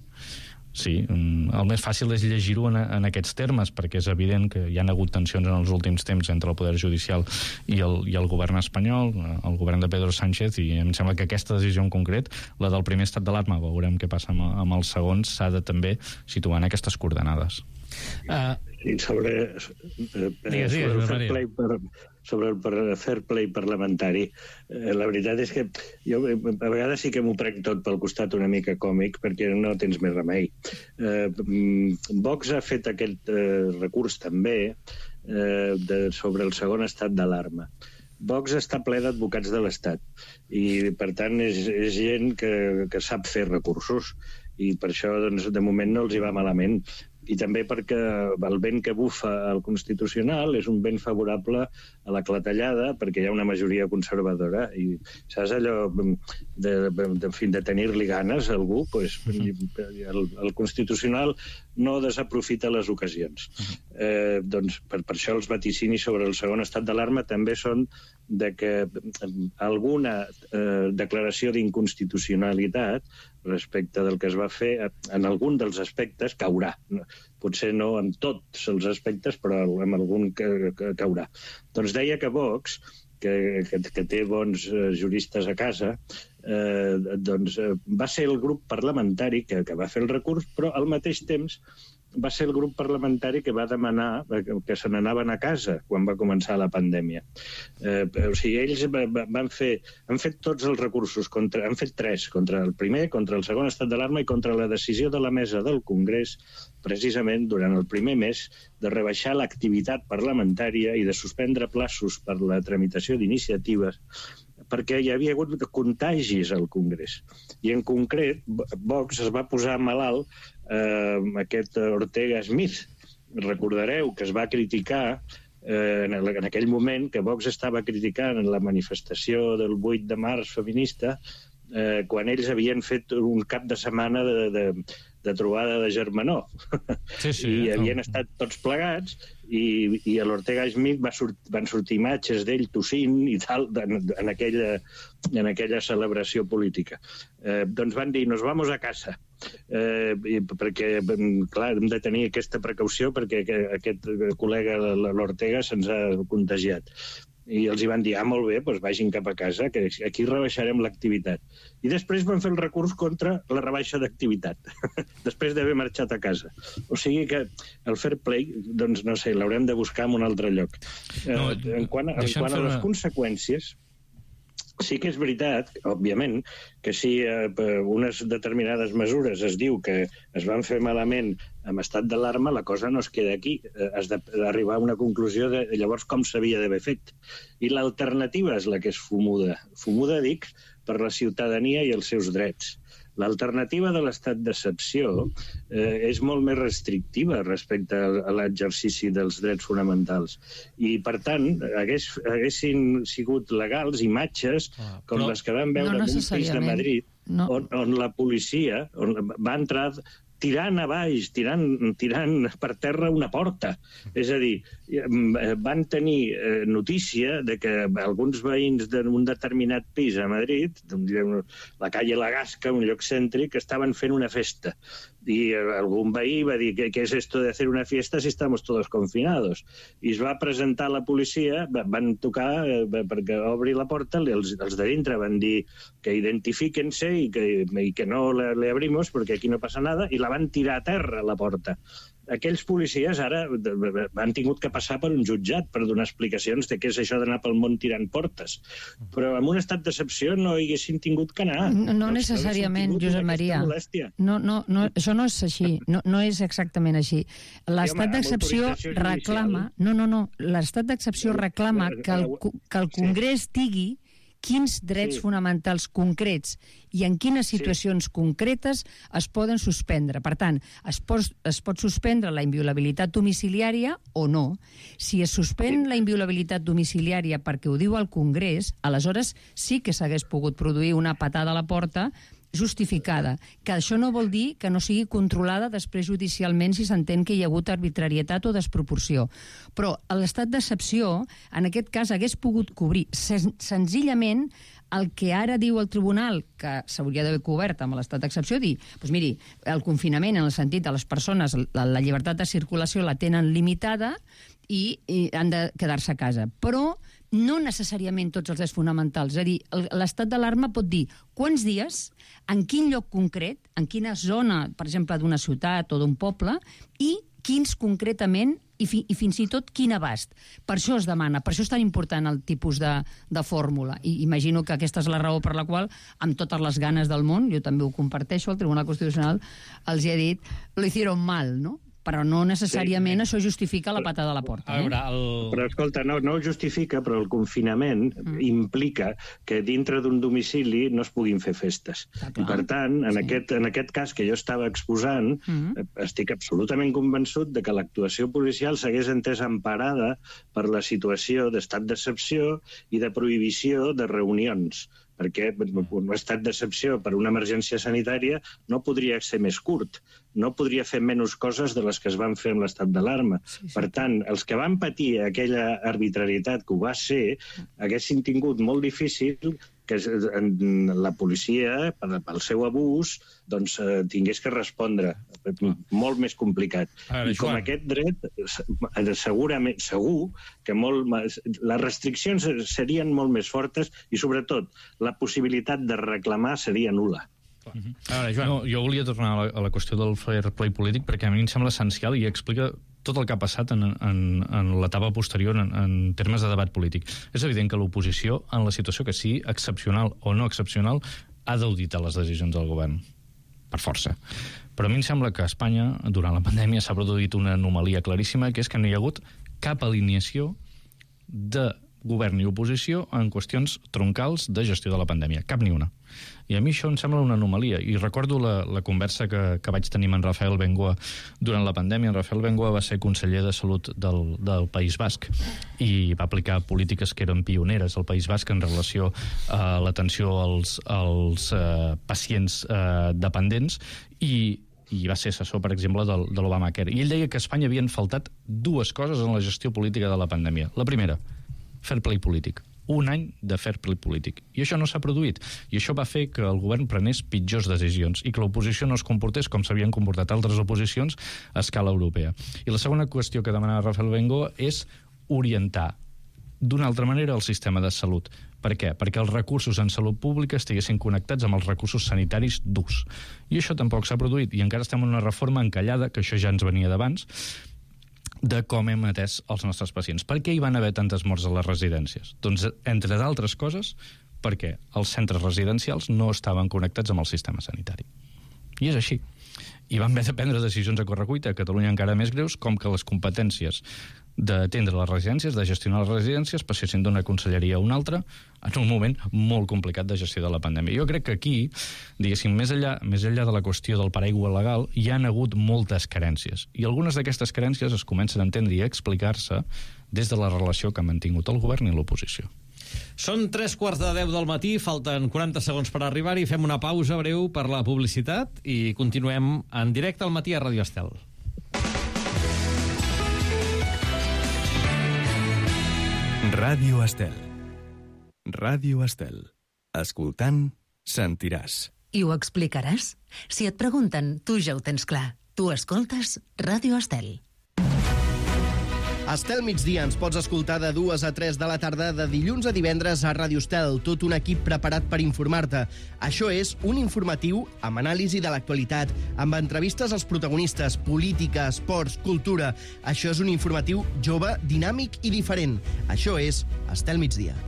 Sí, el més fàcil és llegir-ho en aquests termes, perquè és evident que hi ha hagut tensions en els últims temps entre el Poder Judicial i el govern espanyol, el govern de Pedro Sánchez, i em sembla que aquesta decisió en concret, la del primer estat d'alarma, veurem què passa amb els segons, s'ha de també situar en aquestes coordenades. Sobre el fair play parlamentari, la veritat és que jo a vegades sí que m'ho prenc tot pel costat una mica còmic, perquè no tens més remei. Vox ha fet aquest recurs també sobre el segon estat d'alarma. Vox està ple d'advocats de l'Estat i, per tant, és gent que sap fer recursos i per això, doncs, de moment no els hi va malament. I també perquè el vent que bufa al Constitucional és un vent favorable a la clatellada, perquè hi ha una majoria conservadora i saps allò de tenir-li ganes a algú, doncs, el Constitucional no desaprofita les ocasions. Doncs per això els vaticinis sobre el segon estat d'alarma també són de que alguna declaració d'inconstitucionalitat respecte del que es va fer en algun dels aspectes caurà. Potser no en tots els aspectes, però en algun caurà. Doncs deia que Vox, que té bons juristes a casa, doncs va ser el grup parlamentari que va fer el recurs, però al mateix temps va ser el grup parlamentari que va demanar que se n'anaven a casa quan va començar la pandèmia. O sigui, ells han fet tots els recursos, han fet 3, contra el primer, contra el segon estat d'alarma i contra la decisió de la mesa del Congrés, precisament durant el primer mes, de rebaixar l'activitat parlamentària i de suspendre plaços per la tramitació d'iniciatives perquè hi havia hagut contagis al Congrés. I en concret, Vox es va posar malalt aquest Ortega Smith. Recordareu que es va criticar en aquell moment, que Vox estava criticant en la manifestació del 8 de març feminista, quan ells havien fet un cap de setmana de trobada de germanor. I havien estat tots plegats i a l'Ortega Smith van sortir imatges d'ell tossint i tal en aquella celebració política. Doncs van dir, nos vamos a casa, perquè, clar, hem de tenir aquesta precaució perquè aquest col·lega, l'Ortega, se'ns ha contagiat. I els hi van dir, molt bé, doncs vagin cap a casa, que aquí rebaixarem l'activitat. I després van fer el recurs contra la rebaixa d'activitat, després d'haver marxat a casa. O sigui que el fair play, doncs no sé, l'haurem de buscar en un altre lloc. En quant a les conseqüències, sí que és veritat, òbviament, que si unes determinades mesures es diu que es van fer malament amb estat d'alarma la cosa no es queda aquí. Has d'arribar a una conclusió de llavors com s'havia d'haver fet. I l'alternativa és la que és fumuda. Fumuda, dic, per la ciutadania i els seus drets. L'alternativa de l'estat d'excepció és molt més restrictiva respecte a l'exercici dels drets fonamentals. I, per tant, haguessin sigut legals imatges com les que vam veure en un pis de Madrid, on la policia va entrar tirant a baix, tirant per terra una porta. És a dir, van tenir notícia de que alguns veïns d'un determinat pis a Madrid, la calle La Gasca, un lloc cèntric, estaven fent una festa. Y algún veí va dir, ¿qué es esto de hacer una fiesta si estamos todos confinados? I es va presentar a la policia, van tocar perquè obri la porta, els de dintre van dir que identifíquense y que no le abrimos porque aquí no pasa nada, i la van tirar a terra, la porta. Aquells policies ara han tingut que passar per un jutjat per donar explicacions de què és això d'anar pel món tirant portes. Però en un estat d'excepció no hi haguessin tingut que anar. No necessàriament, Josep Maria. No, això no és així. No és exactament així. L'estat d'excepció reclama... No. L'estat d'excepció reclama que el Congrés digui quins drets fonamentals concrets i en quines situacions concretes es poden suspendre. Per tant, es pot suspendre la inviolabilitat domiciliària o no. Si es suspèn la inviolabilitat domiciliària perquè ho diu el Congrés, aleshores sí que s'hagués pogut produir una patada a la porta justificada, que això no vol dir que no sigui controlada després judicialment si s'entén que hi ha hagut arbitrarietat o desproporció. Però l'estat d'excepció, en aquest cas, hagués pogut cobrir senzillament el que ara diu el tribunal, que s'hauria d'haver cobert amb l'estat d'excepció, dir, doncs miri, el confinament en el sentit de les persones, la llibertat de circulació la tenen limitada i han de quedar-se a casa. Però no necessàriament tots els drets fonamentals. És a dir, l'estat d'alarma pot dir quants dies, en quin lloc concret, en quina zona, per exemple, d'una ciutat o d'un poble, i quins concretament, i fins i tot quin abast. Per això es demana, per això és tan important el tipus de fórmula. I imagino que aquesta és la raó per la qual, amb totes les ganes del món, jo també ho comparteixo, el Tribunal Constitucional els hi ha dit, lo hicieron mal, no? Però no necessàriament això justifica la patada a la porta. Però escolta, no ho justifica, però el confinament implica que dintre d'un domicili no es puguin fer festes. I per tant, en aquest cas que jo estava exposant, estic absolutament convençut de que l'actuació policial s'hagués entès emparada per la situació d'estat d'excepció i de prohibició de reunions, perquè un estat d'excepció per una emergència sanitària no podria ser més curt, no podria fer menys coses de les que es van fer amb l'estat d'alarma. Per tant, els que van patir aquella arbitrarietat que ho va ser, haguessin tingut molt difícil que la policia, pel seu abús, doncs tingués que respondre. Molt més complicat. I com aquest dret, segurament, segur que les restriccions serien molt més fortes i, sobretot, la possibilitat de reclamar seria nul·la. Ara, Joan, jo volia tornar a la qüestió del fair play polític perquè a mi em sembla essencial i explica tot el que ha passat en l'etapa posterior en termes de debat polític. És evident que l'oposició, en la situació que sigui excepcional o no excepcional, ha d'auditar les decisions del govern, per força. Però a mi em sembla que a Espanya, durant la pandèmia, s'ha produït una anomalia claríssima, que és que no hi ha hagut cap alineació de govern i oposició en qüestions troncals de gestió de la pandèmia. Cap ni una. I a mi això em sembla una anomalia. I recordo la conversa que vaig tenir amb en Rafael Bengoa durant la pandèmia. En Rafael Bengoa va ser conseller de Salut del País Basc i va aplicar polítiques que eren pioneres al País Basc en relació a l'atenció als pacients dependents i va ser assessor, per exemple, de l'Obamacare. I ell deia que a Espanya havien faltat dues coses en la gestió política de la pandèmia. La primera, fair play polític. Un any de fair play polític. I això no s'ha produït. I això va fer que el govern prenés pitjors decisions i que l'oposició no es comportés com s'havien comportat altres oposicions a escala europea. I la segona qüestió que demanava Rafael Bengoa és orientar d'una altra manera el sistema de salut. Per què? Perquè els recursos en salut pública estiguessin connectats amb els recursos sanitaris d'ús. I això tampoc s'ha produït. I encara estem en una reforma encallada, que això ja ens venia d'abans, de com hem atès els nostres pacients. Per què hi van haver tantes morts a les residències? Doncs, entre d'altres coses, perquè els centres residencials no estaven connectats amb el sistema sanitari. I és així. i van haver de prendre decisions a correcuita, a Catalunya encara més greus, com que les competències d'atendre les residències, de gestionar les residències, passessin d'una conselleria a una altra en un moment molt complicat de gestió de la pandèmia. Jo crec que aquí, diguéssim, més enllà de la qüestió del paraigua legal, hi han hagut moltes carències. I algunes d'aquestes carències es comencen a entendre i a explicar-se des de la relació que ha mantingut el govern i l'oposició. Són 3:45 del matí, falten 40 segons per arribar-hi, fem una pausa breu per la publicitat i continuem en directe al matí a Ràdio Estel. Ràdio Estel. Ràdio Estel. Escoltant, sentiràs. I ho explicaràs? Si et pregunten, tu ja ho tens clar. Tu escoltes Ràdio Estel. Estel migdia ens pots escoltar de 2 a 3 de la tarda de dilluns a divendres a Ràdio Estel, tot un equip preparat per informar-te. Això és un informatiu amb anàlisi de l'actualitat, amb entrevistes als protagonistes, política, esports, cultura. Això és un informatiu jove, dinàmic i diferent. Això és Estel migdia.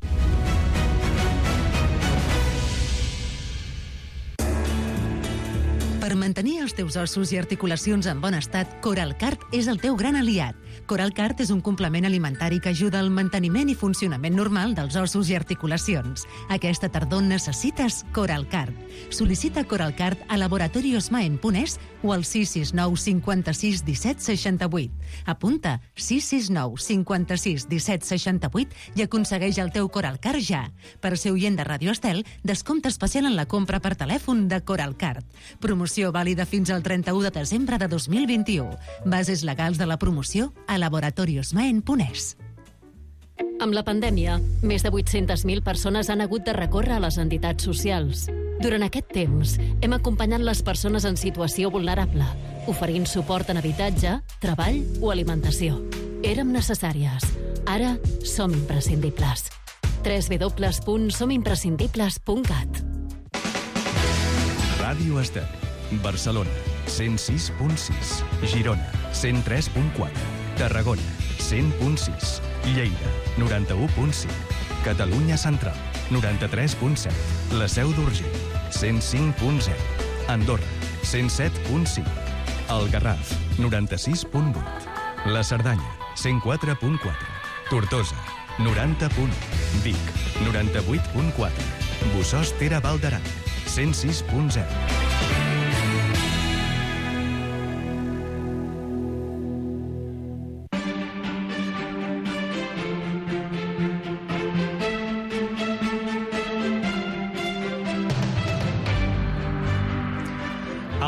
Per mantenir els teus ossos i articulacions en bon estat, Coralcart és el teu gran aliat. Coralcart és un complement alimentari que ajuda al manteniment i funcionament normal dels ossos i articulacions. Aquesta tardor necessites Coralcart. Sol·licita Coralcart a laboratoriosmaen.es o al 669 56 17 68. Apunta 669 56 17 68 i aconsegueix el teu Coralcart ja. Per ser oient de Ràdio Estel, descompte especial en la compra per telèfon de Coralcart. Promoció vàlida fins al 31 de desembre de 2021. Bases legals de la promoció a laboratoriosmaen.es. Amb la pandèmia, més de 800.000 persones han hagut de recórrer a les entitats socials. Durant aquest temps, hem acompanyat les persones en situació vulnerable, oferint suport en habitatge, treball o alimentació. Érem necessàries. Ara som imprescindibles. www.somimprescindibles.cat. Ràdio Estel. Barcelona, 106.6. Girona, 103.4. Tarragona, 100.6. Lleida, 91.5. Catalunya Central, 93.7. La Seu d'Urgell, 105.0. Andorra, 107.5. El Garraf, 96.8. La Cerdanya, 104.4. Tortosa, 90.1. Vic, 98.4. Bossòst-Tere Val d'Aran, 106.0.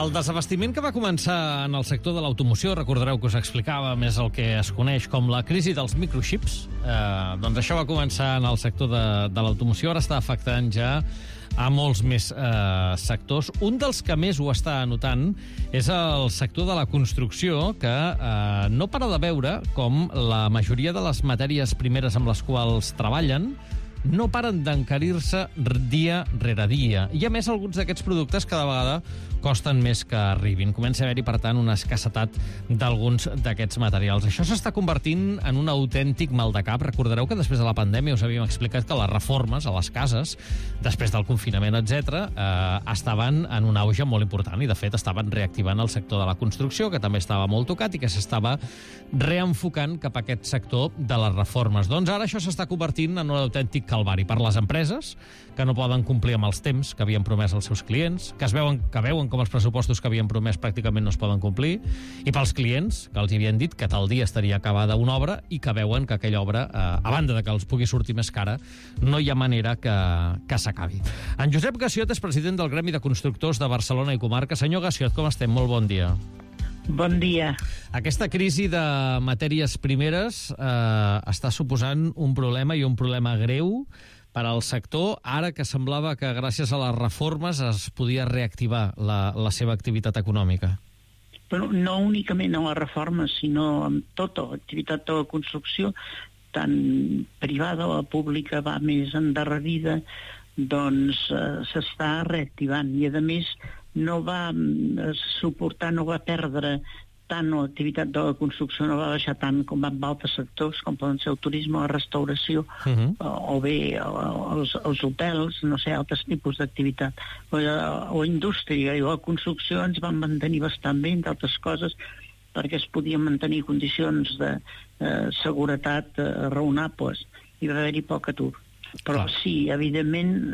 El desabastiment que va començar en el sector de l'automoció, recordareu que us explicava més el que es coneix com la crisi dels microchips, doncs això va començar en el sector de l'automoció, ara està afectant ja a molts més sectors. Un dels que més ho està notant és el sector de la construcció, que no para de veure com la majoria de les matèries primeres amb les quals treballen no paren d'encarir-se dia rere dia. I, a més, alguns d'aquests productes cada vegada costen més que arribin. Comença a haver-hi, per tant, una escassetat d'alguns d'aquests materials. Això s'està convertint en un autèntic maldecap. Recordareu que després de la pandèmia us havíem explicat que les reformes a les cases, després del confinament, etc., estaven en un auge molt important i, de fet, estaven reactivant el sector de la construcció, que també estava molt tocat i que s'estava reenfocant cap a aquest sector de les reformes. Doncs ara això s'està convertint en un autèntic calvari per les empreses, que no poden complir amb els temps que havien promès als seus clients, que veuen com els pressupostos que havien promès pràcticament no es poden complir, i pels clients, que els havien dit que tal dia estaria acabada una obra i que veuen que aquella obra, a banda de que els pugui sortir més cara, no hi ha manera que s'acabi. En Josep Gassiot és president del Gremi de Constructors de Barcelona i Comarca. Senyor Gassiot, com estem? Molt bon dia. Bon dia. Aquesta crisi de matèries primeres està suposant un problema i un problema greu per al sector, ara que semblava que gràcies a les reformes es podia reactivar la seva activitat econòmica. Però no únicament a les reformes, sinó amb tota l'activitat de la construcció, tant privada o pública, va més endarrerida, doncs s'està reactivant. I, a més, no va suportar, no va perdre tant, o l'activitat de la construcció no va baixar tant com en altres sectors, com poden ser el turisme, la restauració, o bé els hotels, no sé, altres tipus d'activitat. O indústria i la construcció ens van mantenir bastant bé, entre altres coses, perquè es podien mantenir condicions de seguretat raonables i va haver-hi poc atur. Però sí, evidentment,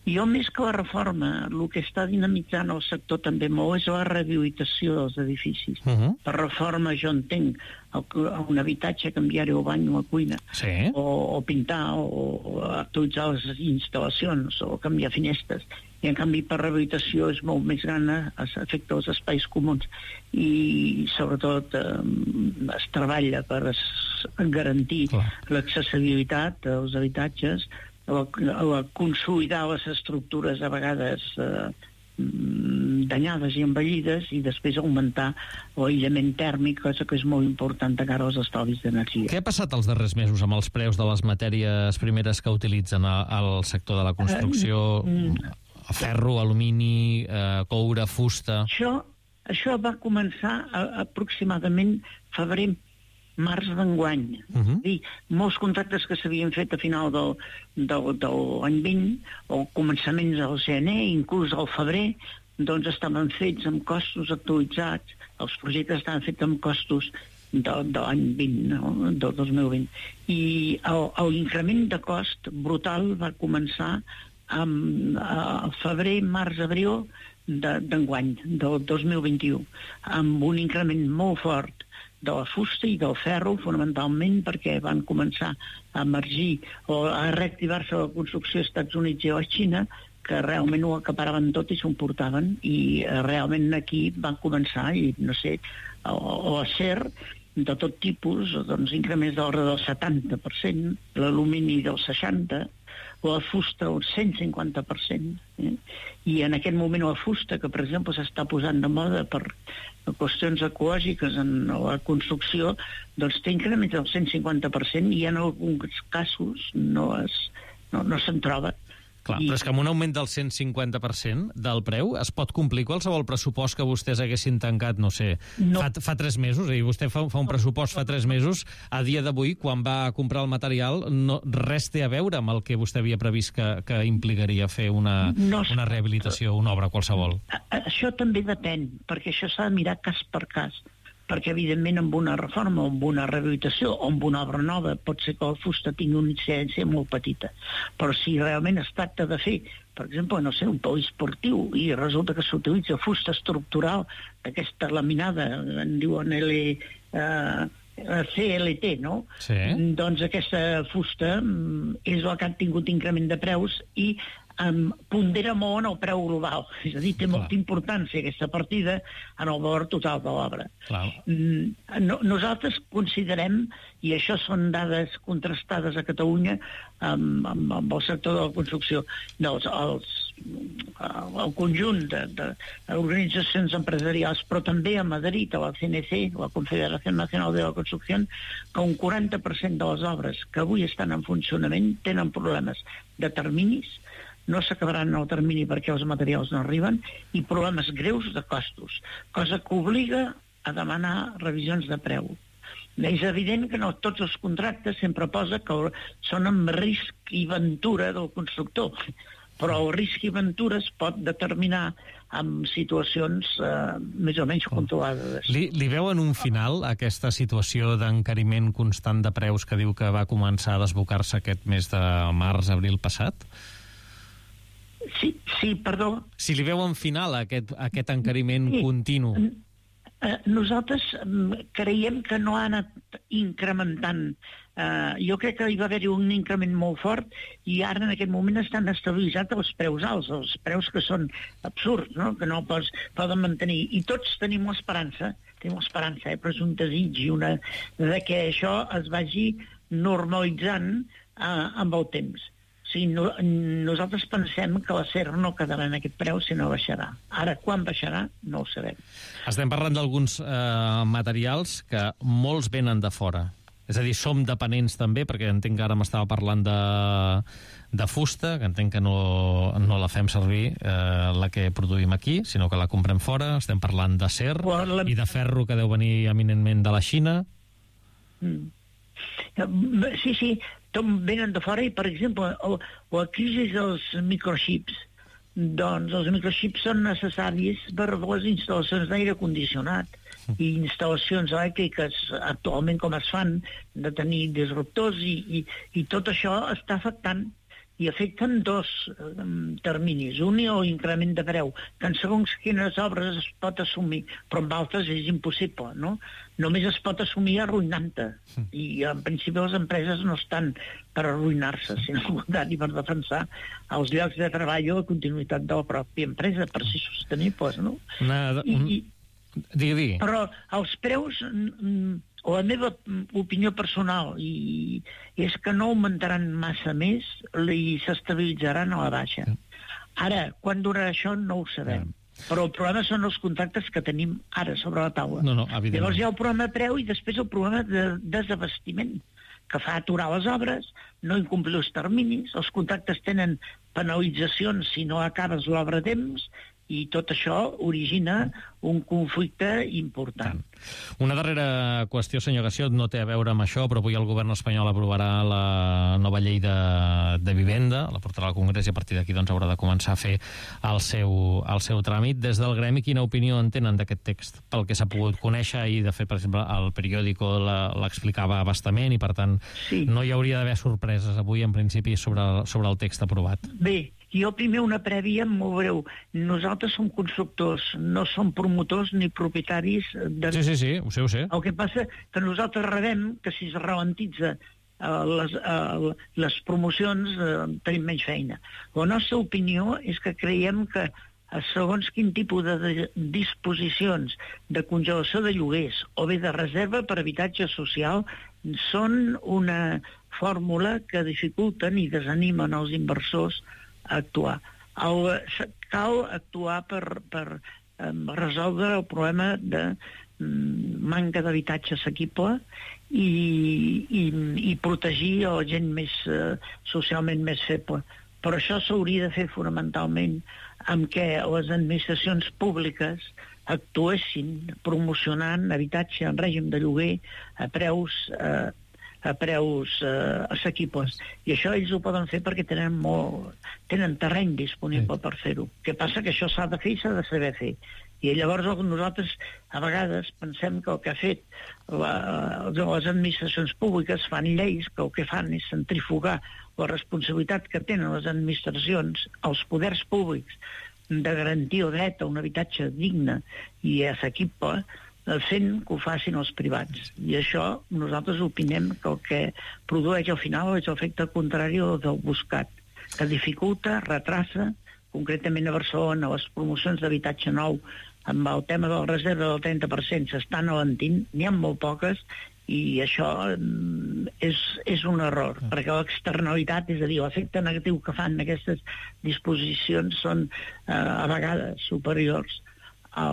jo més que la reforma, el que està dinamitzant el sector també molt és la rehabilitació dels edificis. Per reforma jo entenc un habitatge, canviar-hi el bany o la cuina, o pintar, o actualitzar les instal·lacions, o canviar finestres. I en canvi per rehabilitació és molt més gran, afecta els espais comuns i sobretot es treballa per garantir l'accessibilitat als habitatges, consolidar les estructures a vegades danyades i envellides i després augmentar l'aïllament tèrmic, cosa que és molt important de cara als estalvis d'energia. Què ha passat els darrers mesos amb els preus de les matèries primeres que utilitzen al sector de la construcció? Ferro, alumini, coure, fusta... Això va començar aproximadament febrer-març d'enguany. Molts contractes que s'havien fet a final de l'any 20 o començaments del gener, inclús al febrer, doncs estaven fets amb costos actualitzats. Els projectes estaven fets amb costos de l'any 20, no? Del 2020. I l'increment de cost brutal va començar al febrer, març, abril d'enguany, del 2021, amb un increment molt fort de la fusta i del ferro, fonamentalment perquè van començar a emergir o a reactivar-se la construcció als Estats Units i a la Xina, que realment ho acaparaven tot i s'ho emportaven, i realment aquí van començar, i no sé, l'acer de tot tipus, doncs increments de l'ordre del 70%, l'alumini del 60%, la fusta un 150%. I en aquest moment la fusta, que per exemple s'està posant de moda per qüestions ecològiques en la construcció, doncs té increments del 150% i en alguns casos no se'n troba. Clar, però és que amb un augment del 150% del preu es pot complir qualsevol pressupost que vostès haguessin tancat, no sé, fa 3 mesos, és a dir, vostè fa un pressupost fa 3 mesos, a dia d'avui, quan va comprar el material, res té a veure amb el que vostè havia previst que implicaria fer una rehabilitació, una obra qualsevol. Això també depèn, perquè això s'ha de mirar cas per cas, perquè evidentment amb una reforma o amb una rehabilitació o amb una obra nova pot ser que la fusta tingui una incidència molt petita, però si realment es tracta de fer, per exemple, no sé, un poliesportiu i resulta que s'utilitza fusta estructural d'aquesta laminada, en diuen CLT, no? Doncs aquesta fusta és la que ha tingut increment de preus i pondera molt en el preu global, és a dir, té molta importància aquesta partida en el valor total de l'obra. Nosaltres considerem, i això són dades contrastades a Catalunya amb el sector de la construcció, el conjunt d'organitzacions empresarials, però també a Madrid, a la CNC, la Confederació Nacional de la Construcció, que un 40% de les obres que avui estan en funcionament tenen problemes de terminis, no s'acabaran en el termini perquè els materials no arriben, i problemes greus de costos, cosa que obliga a demanar revisions de preu. És evident que no tots els contractes sempre posa que són amb risc i ventura del constructor, però el risc i ventura es pot determinar en situacions més o menys controlades. Li veuen un final a aquesta situació d'encariment constant de preus que diu que va començar a desbocar-se aquest mes de març-abril passat? Sí, perdó. Si li veuen final a aquest encariment continu. Nosaltres creiem que no ha anat incrementant. Jo crec que hi va haver-hi un increment molt fort i ara en aquest moment estan estabilitzats els preus alts, els preus que són absurds, no? Que no poden mantenir. I tots tenim l'esperança, però és un desig i de que això es vagi normalitzant amb el temps. Nosaltres pensem que l'acer no quedarà en aquest preu, sinó baixarà. Ara, quan baixarà, no ho sabem. Estem parlant d'alguns materials que molts venen de fora. És a dir, som dependents també, perquè entenc que ara m'estava parlant de fusta, que entenc que no la fem servir, la que produïm aquí, sinó que la comprem fora. Estem parlant d'acer i de ferro, que deu venir eminentment de la Xina. Sí, tot venen de fora i, per exemple, la crisi dels microxips. Doncs els microxips són necessaris per les instal·lacions d'aire condicionat i instal·lacions elèctriques actualment com es fan, de tenir disruptors i tot això està afectant i afecten dos terminis. Un, el increment de preu, que en segons quines obres es pot assumir, però en altres és impossible, no? Només es pot assumir arruïnant-te. I en principi les empreses no estan per arruïnar-se, sinó al contrari, per defensar els llocs de treball o la continuïtat de la pròpia empresa, per ser sostenibles, no? Digui. Però els preus, la meva opinió personal és que no augmentaran massa més i s'estabilitzaran a la baixa. Ara, quan durarà això no ho sabem. Però el problema són els contractes que tenim ara sobre la taula. Llavors hi ha el problema de preu i després el problema de desabastiment, que fa aturar les obres, no incomplir els terminis, els contractes tenen penalitzacions si no acabes l'obra a temps, i tot això origina un conflicte important. Una darrera qüestió, senyor Gassiot, no té a veure amb això, però avui el govern espanyol aprovarà la nova llei de vivenda, la portarà al Congrés i a partir d'aquí haurà de començar a fer el seu tràmit. Des del gremi, quina opinió en tenen d'aquest text? Pel que s'ha pogut conèixer, i de fet, per exemple, el periòdico l'explicava abastament i, per tant, no hi hauria d'haver sorpreses avui, en principi, sobre el text aprovat. Bé, jo primer una prèvia molt breu. Nosaltres som constructors, no som promotors ni propietaris de... Sí, ho sé. El que passa que nosaltres rebem que si es ralentitza les promocions tenim menys feina. La nostra opinió és que creiem que segons quin tipus de disposicions de congelació de lloguers o bé de reserva per habitatge social són una fórmula que dificulten i desanimen els inversors a actuar. Cal actuar per resoldre el problema de manca d'habitatge assequible i protegir la gent més socialment més feble. Però això s'hauria de fer fonamentalment amb què les administracions públiques actuessin promocionant habitatge en règim de lloguer a preus assequibles. I això ells ho poden fer perquè tenen terreny disponible per fer-ho. Què passa? Que això s'ha de fer i s'ha de saber fer. I llavors nosaltres a vegades pensem que el que ha fet les administracions públiques fan lleis que el que fan és centrifugar la responsabilitat que tenen les administracions, els poders públics, de garantir el dret a un habitatge digne i assequible, fent que ho facin els privats. I això nosaltres opinem que el que produeix al final és l'efecte contrari del buscat, que dificulta, retrassa, concretament a Barcelona, les promocions d'habitatge nou, amb el tema de la reserva del 30% s'estan alentint, n'hi ha molt poques, i això és un error, perquè l'externalitat, és a dir, l'efecte negatiu que fan aquestes disposicions són a vegades superiors a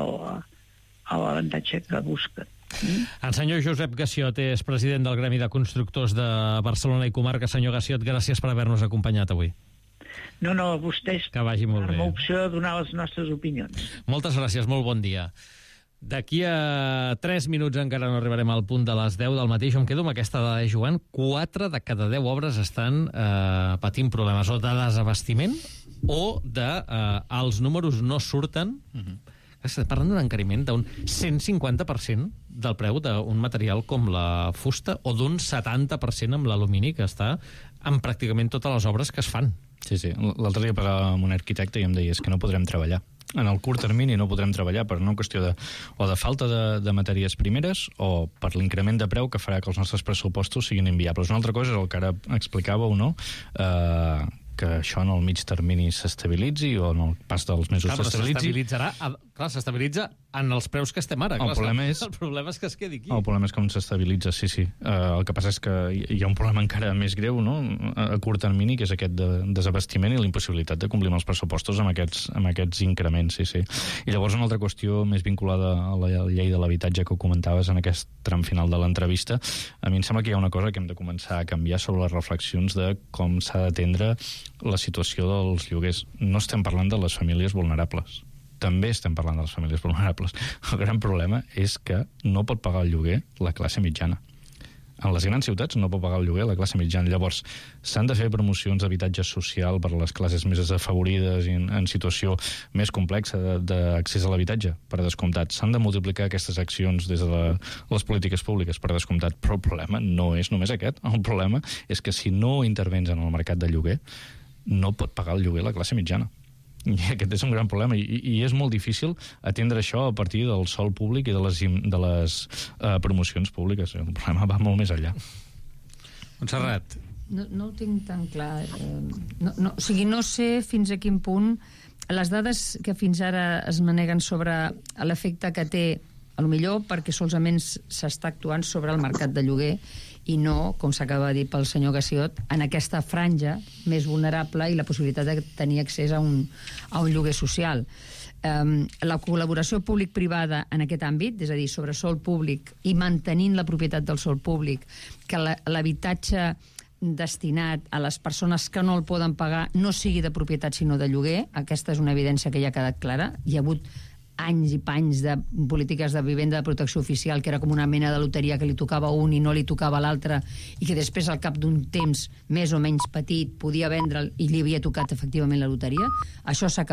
l'avantatge que busquen. El senyor Josep Gassiot és president del Gremi de Constructors de Barcelona i Comarca. Senyor Gassiot, gràcies per haver-nos acompanyat avui. No, a vostès que vagi molt bé. Amb opció de donar les nostres opinions. Moltes gràcies, molt bon dia. D'aquí a 3 minuts encara no arribarem al punt de les 10 del matí. Jo em quedo amb aquesta dada de Joan. 4 de cada 10 obres estan patint problemes o de desabastiment o de els números no surten. Estem parlant d'un encariment d'un 150% del preu d'un material com la fusta o d'un 70% amb l'alumini, que està en pràcticament totes les obres que es fan. Sí. L'altre dia parlàvem amb un arquitecte i em deia que no podrem treballar. En el curt termini no podrem treballar per una qüestió de falta de matèries primeres o per l'increment de preu que farà que els nostres pressupostos siguin inviables. Una altra cosa és el que ara explicàveu, no?, que això en el mig termini s'estabilitzi o en el pas dels mesos s'estabilitzi. S'estabilitza en els preus que estem ara. El problema és que es quedi aquí. El problema és com s'estabilitza, sí. El que passa és que hi ha un problema encara més greu, no?, a curt termini, que és aquest de desabastiment i la impossibilitat de complir amb els pressupostos amb aquests increments, sí. I llavors una altra qüestió més vinculada a la llei de l'habitatge que ho comentaves en aquest tram final de l'entrevista, a mi em sembla que hi ha una cosa que hem de començar a canviar sobre les reflexions de com s'ha d'atendre la situació dels lloguers. No estem parlant de les famílies vulnerables. També estem parlant de les famílies vulnerables. El gran problema és que no pot pagar el lloguer la classe mitjana. En les grans ciutats no pot pagar el lloguer la classe mitjana. Llavors, s'han de fer promocions d'habitatge social per a les classes més desafavorides i en situació més complexa d'accés a l'habitatge, per descomptat. S'han de multiplicar aquestes accions des de les polítiques públiques, per descomptat. Però el problema no és només aquest. El problema és que si no intervens en el mercat de lloguer, no pot pagar el lloguer la classe mitjana. I aquest és un gran problema i és molt difícil atendre això a partir del sòl públic i de les promocions públiques. El problema va molt més enllà. Montserrat. No ho tinc tan clar. O sigui, no sé fins a quin punt les dades que fins ara es maneguen sobre l'efecte que té, a lo millor perquè solament s'està actuant sobre el mercat de lloguer i no, com s'acaba de dir pel senyor Gassiot, en aquesta franja més vulnerable i la possibilitat de tenir accés a un lloguer social. La col·laboració públic-privada en aquest àmbit, és a dir, sobre sòl públic i mantenint la propietat del sòl públic, que l'habitatge destinat a les persones que no el poden pagar no sigui de propietat sinó de lloguer, aquesta és una evidència que ja ha quedat clara. Hi ha hagut anys i panys de polítiques de vivenda de protecció oficial, que era com una mena de loteria que li tocava a un i no li tocava a l'altre, i que després, al cap d'un temps més o menys petit, podia vendre'l i li havia tocat efectivament la loteria. Això s'ha